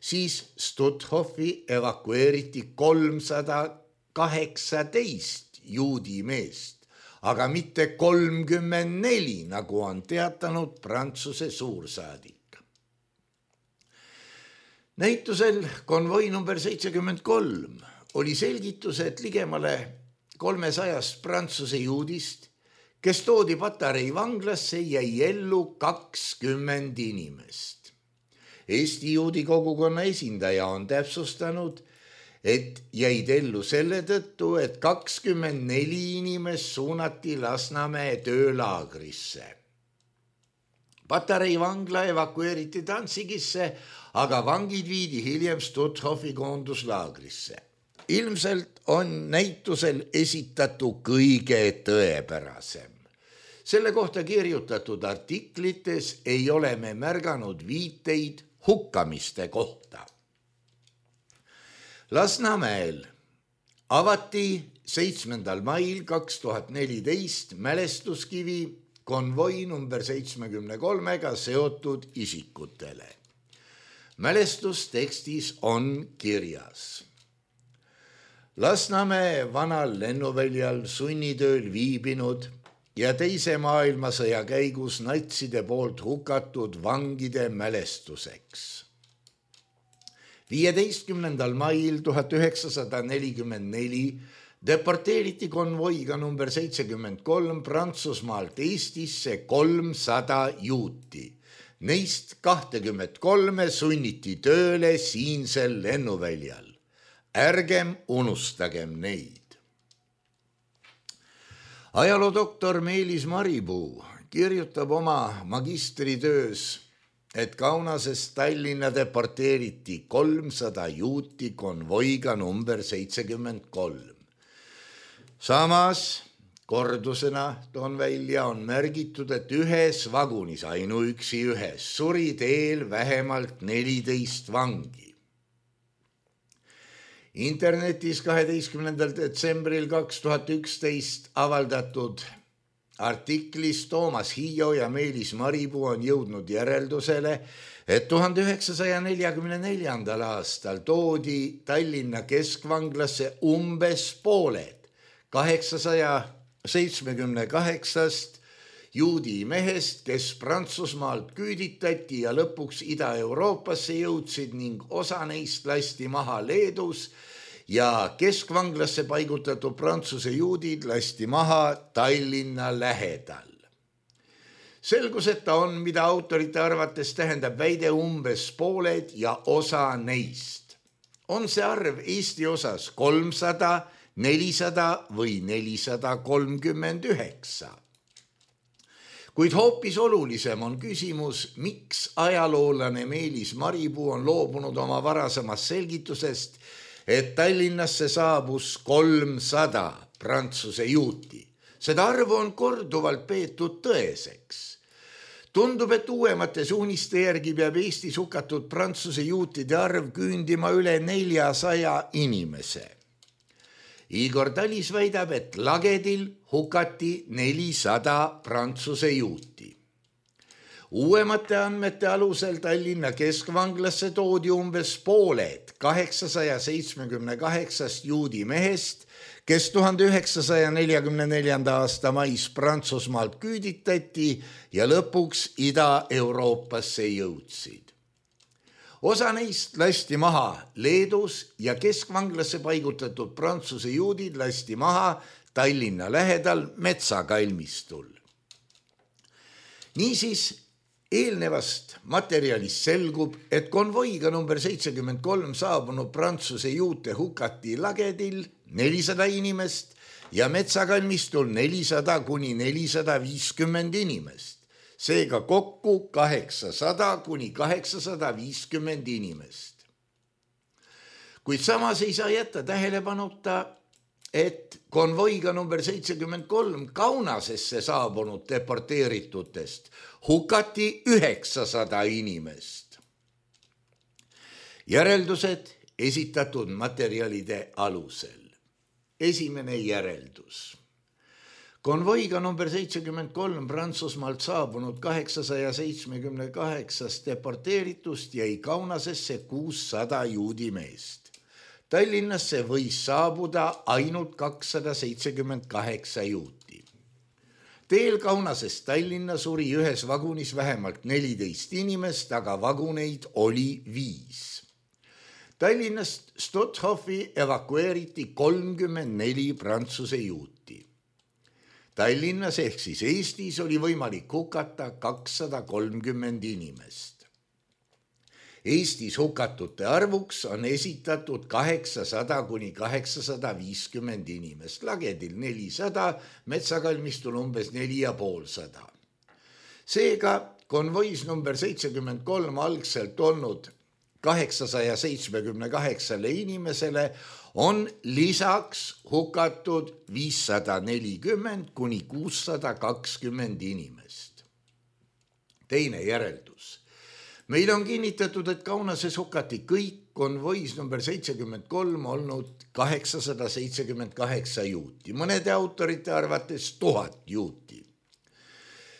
siis Stuthofi evakueeriti 318 juudi meest, aga mitte 34, nagu on teatanud Prantsuse suursaadik. Näitusel konvoi number 73 oli selgitus, et ligemale 300 Prantsuse juudist, kes toodi Patarei vanglasse, jäi ellu 20 inimest. Eesti juudi kogukonna esindaja on täpsustanud, et jäid ellu selle tõttu, et 24 inimest suunati Lasnamäe töölaagrisse. Patarei vangla evakueeriti Danzigisse, aga vangid viidi hiljem Stuthofi koonduslaagrisse. Ilmselt on näitusel esitatu kõige tõepärasem. Selle kohta kirjutatud artiklites ei ole me märganud viiteid hukkamiste kohta. Lasnamäel avati 7. mail 2014 mälestuskivi konvoi number 73-ga seotud isikutele. Mälestustekstis on kirjas: Lasnamäe vanal lennuväljal sunnitööl viibinud ja teise maailmasõja käigus natside poolt hukatud vangide mälestuseks. 15. mail 1944 deporteeriti konvoiga number 73 Prantsusmaalt Eestisse 300 juuti. Neist 23 sunniti tööle siinsel lennuväljal. Ärgem unustagem neid. Ajaloodoktor Meelis Maripuu kirjutab oma magistritöös, et Kaunasest Tallinna deporteeriti 300 juuti konvoiga number 73. Samas kordusena toon välja on märgitud, et ühes vagunis, ainuüksi ühes, suri teel vähemalt 14 vangi. Internetis 12. detsembril 2011 avaldatud artiklis Toomas Hiio ja Meelis Maripuu on jõudnud järeldusele, et 1944. aastal toodi Tallinna keskvanglasse umbes pooled 878 juudi mehest, kes Prantsusmaalt küüditati ja lõpuks Ida-Euroopasse jõudsid ning osa neist lasti maha Leedus ja keskvanglasse paigutatud Prantsuse juudid lasti maha Tallinna lähedal. Selgus, et on, mida autorite arvates tähendab väide umbes pooled ja osa neist. On see arv Eesti osas 300, 400 või 439. Kuid hoopis olulisem on küsimus, miks ajaloolane Meelis Maripuu on loobunud oma varasemast selgitusest, et Tallinnasse saabus 300 Prantsuse juuti. Seda arvu on korduvalt peetud tõeseks. Tundub, et uuemate suuniste järgi peab Eestis hukatud Prantsuse juutide arv küündima üle 400 inimese. Igor Talis väidab, et Lagedil hukati 400 Prantsuse juuti. Uuemate andmete alusel Tallinna keskvanglasse toodi umbes pooled 878 juudi mehest, kes 1944. aasta mais Prantsusmaalt küüditati ja lõpuks Ida-Euroopasse jõudsid. Osa neist lasti maha Leedus ja keskvanglasse paigutatud prantsuse juudid lasti maha Tallinna lähedal metsakalmistul. Niisiis, eelnevast materjalist selgub, et konvoiga number 73 saabunud prantsuse juute hukati lagedil 400 inimest ja metsakalmistul 400 kuni 450 inimest. Seega kokku 800 kuni 850 inimest. Kuid samas ei saa jätta tähelepanuta, et konvoiga number 73 Kaunasesse saabunud deporteeritutest hukati 900 inimest. Järeldused esitatud materjalide alusel. Esimene järeldus. Konvoiga number 73 Prantsusmaalt saabunud 878 deporteeritust jäi Kaunasesse 600 juudi meest. Tallinnasse võis saabuda ainult 278 juuti. Teel Kaunasest Tallinna suri ühes vagunis vähemalt 14 inimest, aga vaguneid oli 5. Tallinnast Stuthofi evakueeriti 34 prantsuse juuti. Tallinnas ehk siis Eestis oli võimalik hukata 230 inimest. Eestis hukatute arvuks on esitatud 800 kuni 850 inimest, lagedil 400, metsakalmistul umbes 450. Seega konvois number 73 algselt olnud 878 inimesele on lisaks hukatud 540 kuni 620 inimest. Teine järeldus. Meil on kinnitatud, et Kaunases hukati kõik konvois number 73 olnud 878 juuti, mõnede autorite arvates 1000 juuti.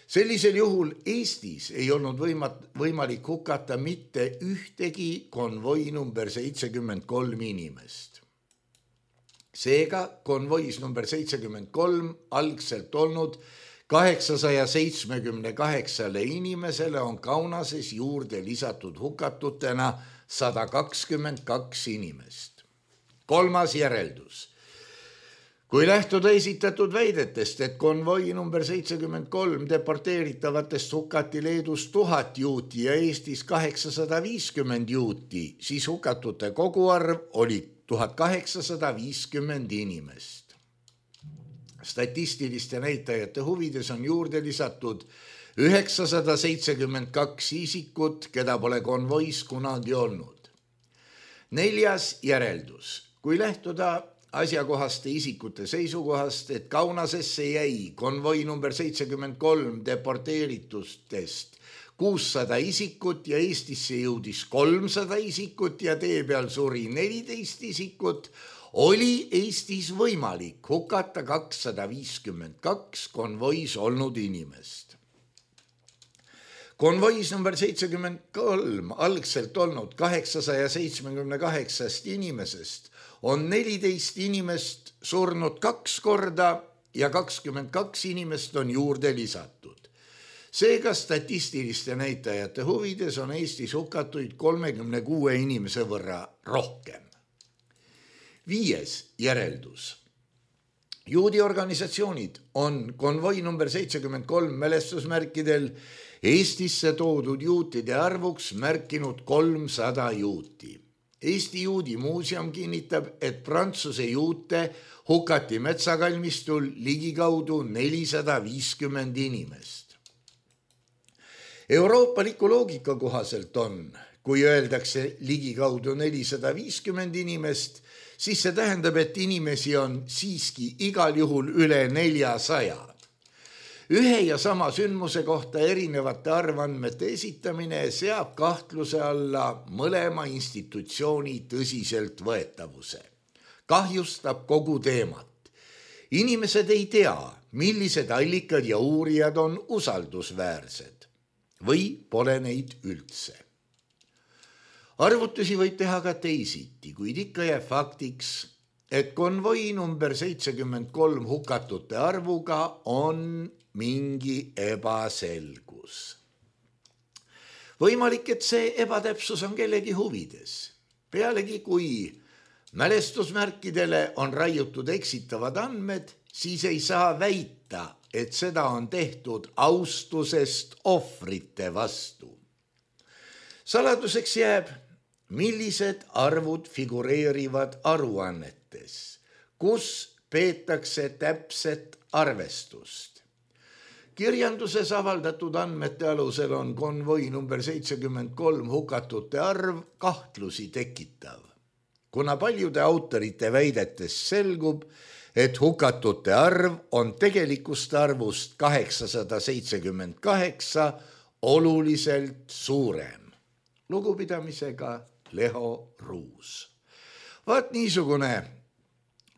Sellisel juhul Eestis ei olnud võimalik hukata mitte ühtegi konvoi number 73 inimest. Seega konvois number 73 algselt olnud 878 inimesele on Kaunases juurde lisatud hukatutena 122 inimest. Kolmas järeldus. Kui lähtuda esitatud väidetest, et konvoi number 73 deporteeritavatest hukati Leedus 1000 juuti ja Eestis 850 juuti, siis hukatute koguarv oli 1850 inimest. Statistiliste näitajate huvides on juurde lisatud 972 isikut, keda pole konvois kunagi olnud. Neljas järeldus. Kui lähtuda asjakohaste isikute seisukohast, et Kaunasesse jäi konvoi number 73 deporteeritustest 600 isikut ja Eestisse jõudis 300 isikut ja tee peal suri 14 isikut, oli Eestis võimalik hukata 252 konvois olnud inimest. Konvois number 73 algselt olnud 878 inimesest on 14 inimest surnud 2 korda ja 22 inimest on juurde lisatud. Seega statistiliste näitajate huvides on Eestis hukatuid 36 inimese võrra rohkem. 5. järeldus. Juudi organisatsioonid on konvoi number 73 mälestusmärkidel Eestisse toodud juutide arvuks märkinud 300 juuti. Eesti Juudi Muuseum kinnitab, et prantsuse juute hukati metsakalmistul ligikaudu 450 inimest. Euroopaliku loogika kohaselt on, kui öeldakse ligikaudu 450 inimest, siis see tähendab, et inimesi on siiski igal juhul üle 400. Ühe ja sama sündmuse kohta erinevate arvandmete esitamine seab kahtluse alla mõlema institutsiooni tõsiselt võetavuse. Kahjustab kogu teemat. Inimesed ei tea, millised allikad ja uurijad on usaldusväärsed. või pole neid üldse. Arvutusi võib teha ka teisiti, kuid ikka jääb faktiks, et konvoi number 73 hukatute arvuga on mingi ebaselgus. Võimalik, et see ebatäpsus on kellegi huvides. Pealegi, kui mälestusmärkidele on raiutud eksitavad andmed, siis ei saa väita, et seda on tehtud austusest ohvrite vastu. Saladuseks jääb, millised arvud figureerivad aruannetes, kus peetakse täpset arvestust. Kirjanduses avaldatud andmete alusel on konvoi number 73 hukatute arv kahtlusi tekitav, kuna paljude autorite väidetes selgub, et hukatute arv on tegelikust arvust 878 oluliselt suurem. Lugupidamisega Leho Ruus. Vaat niisugune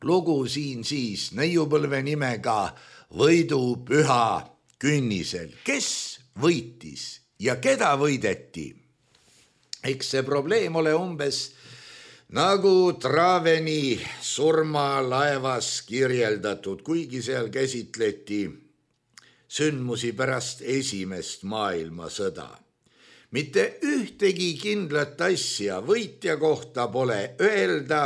lugu siin siis neiupõlve nimega Võidupüha künnisel. Kes võitis ja keda võideti? Eks see probleem ole umbes nagu Traveni surmalaevas kirjeldatud, kuigi seal käsitleti sündmusi pärast esimest maailmasõda. Mitte ühtegi kindlat asja võitja kohta pole öelda,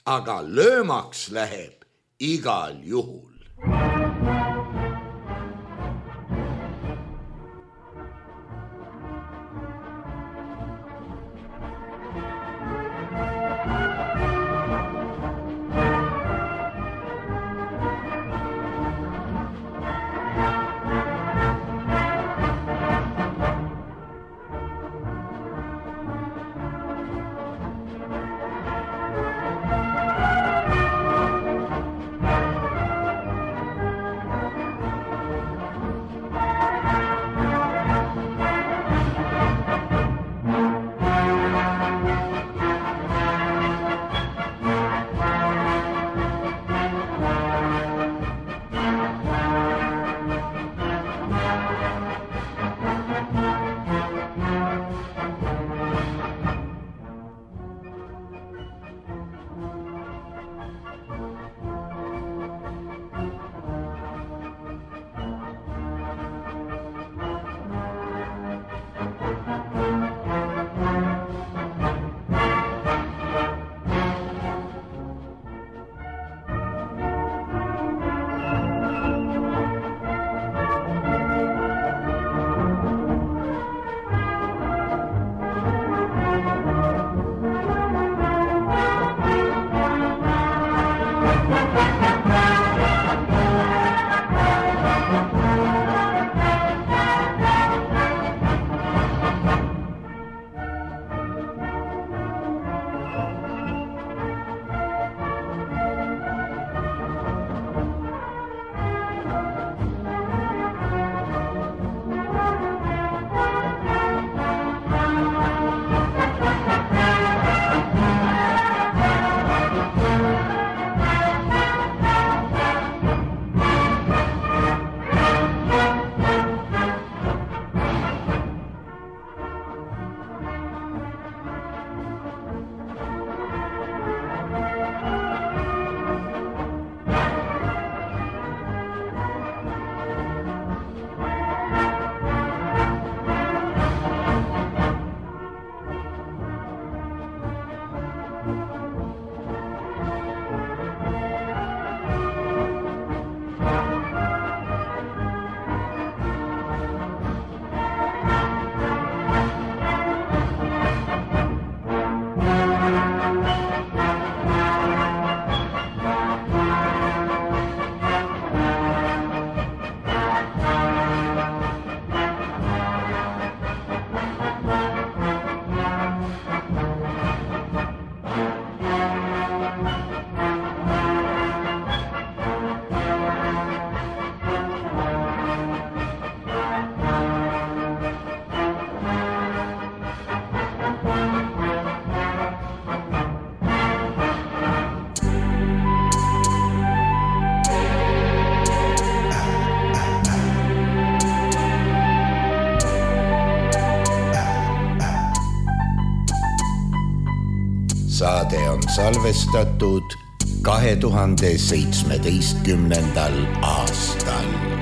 aga löömaks läheb igal juhul. saade on salvestatud 2017. aastal.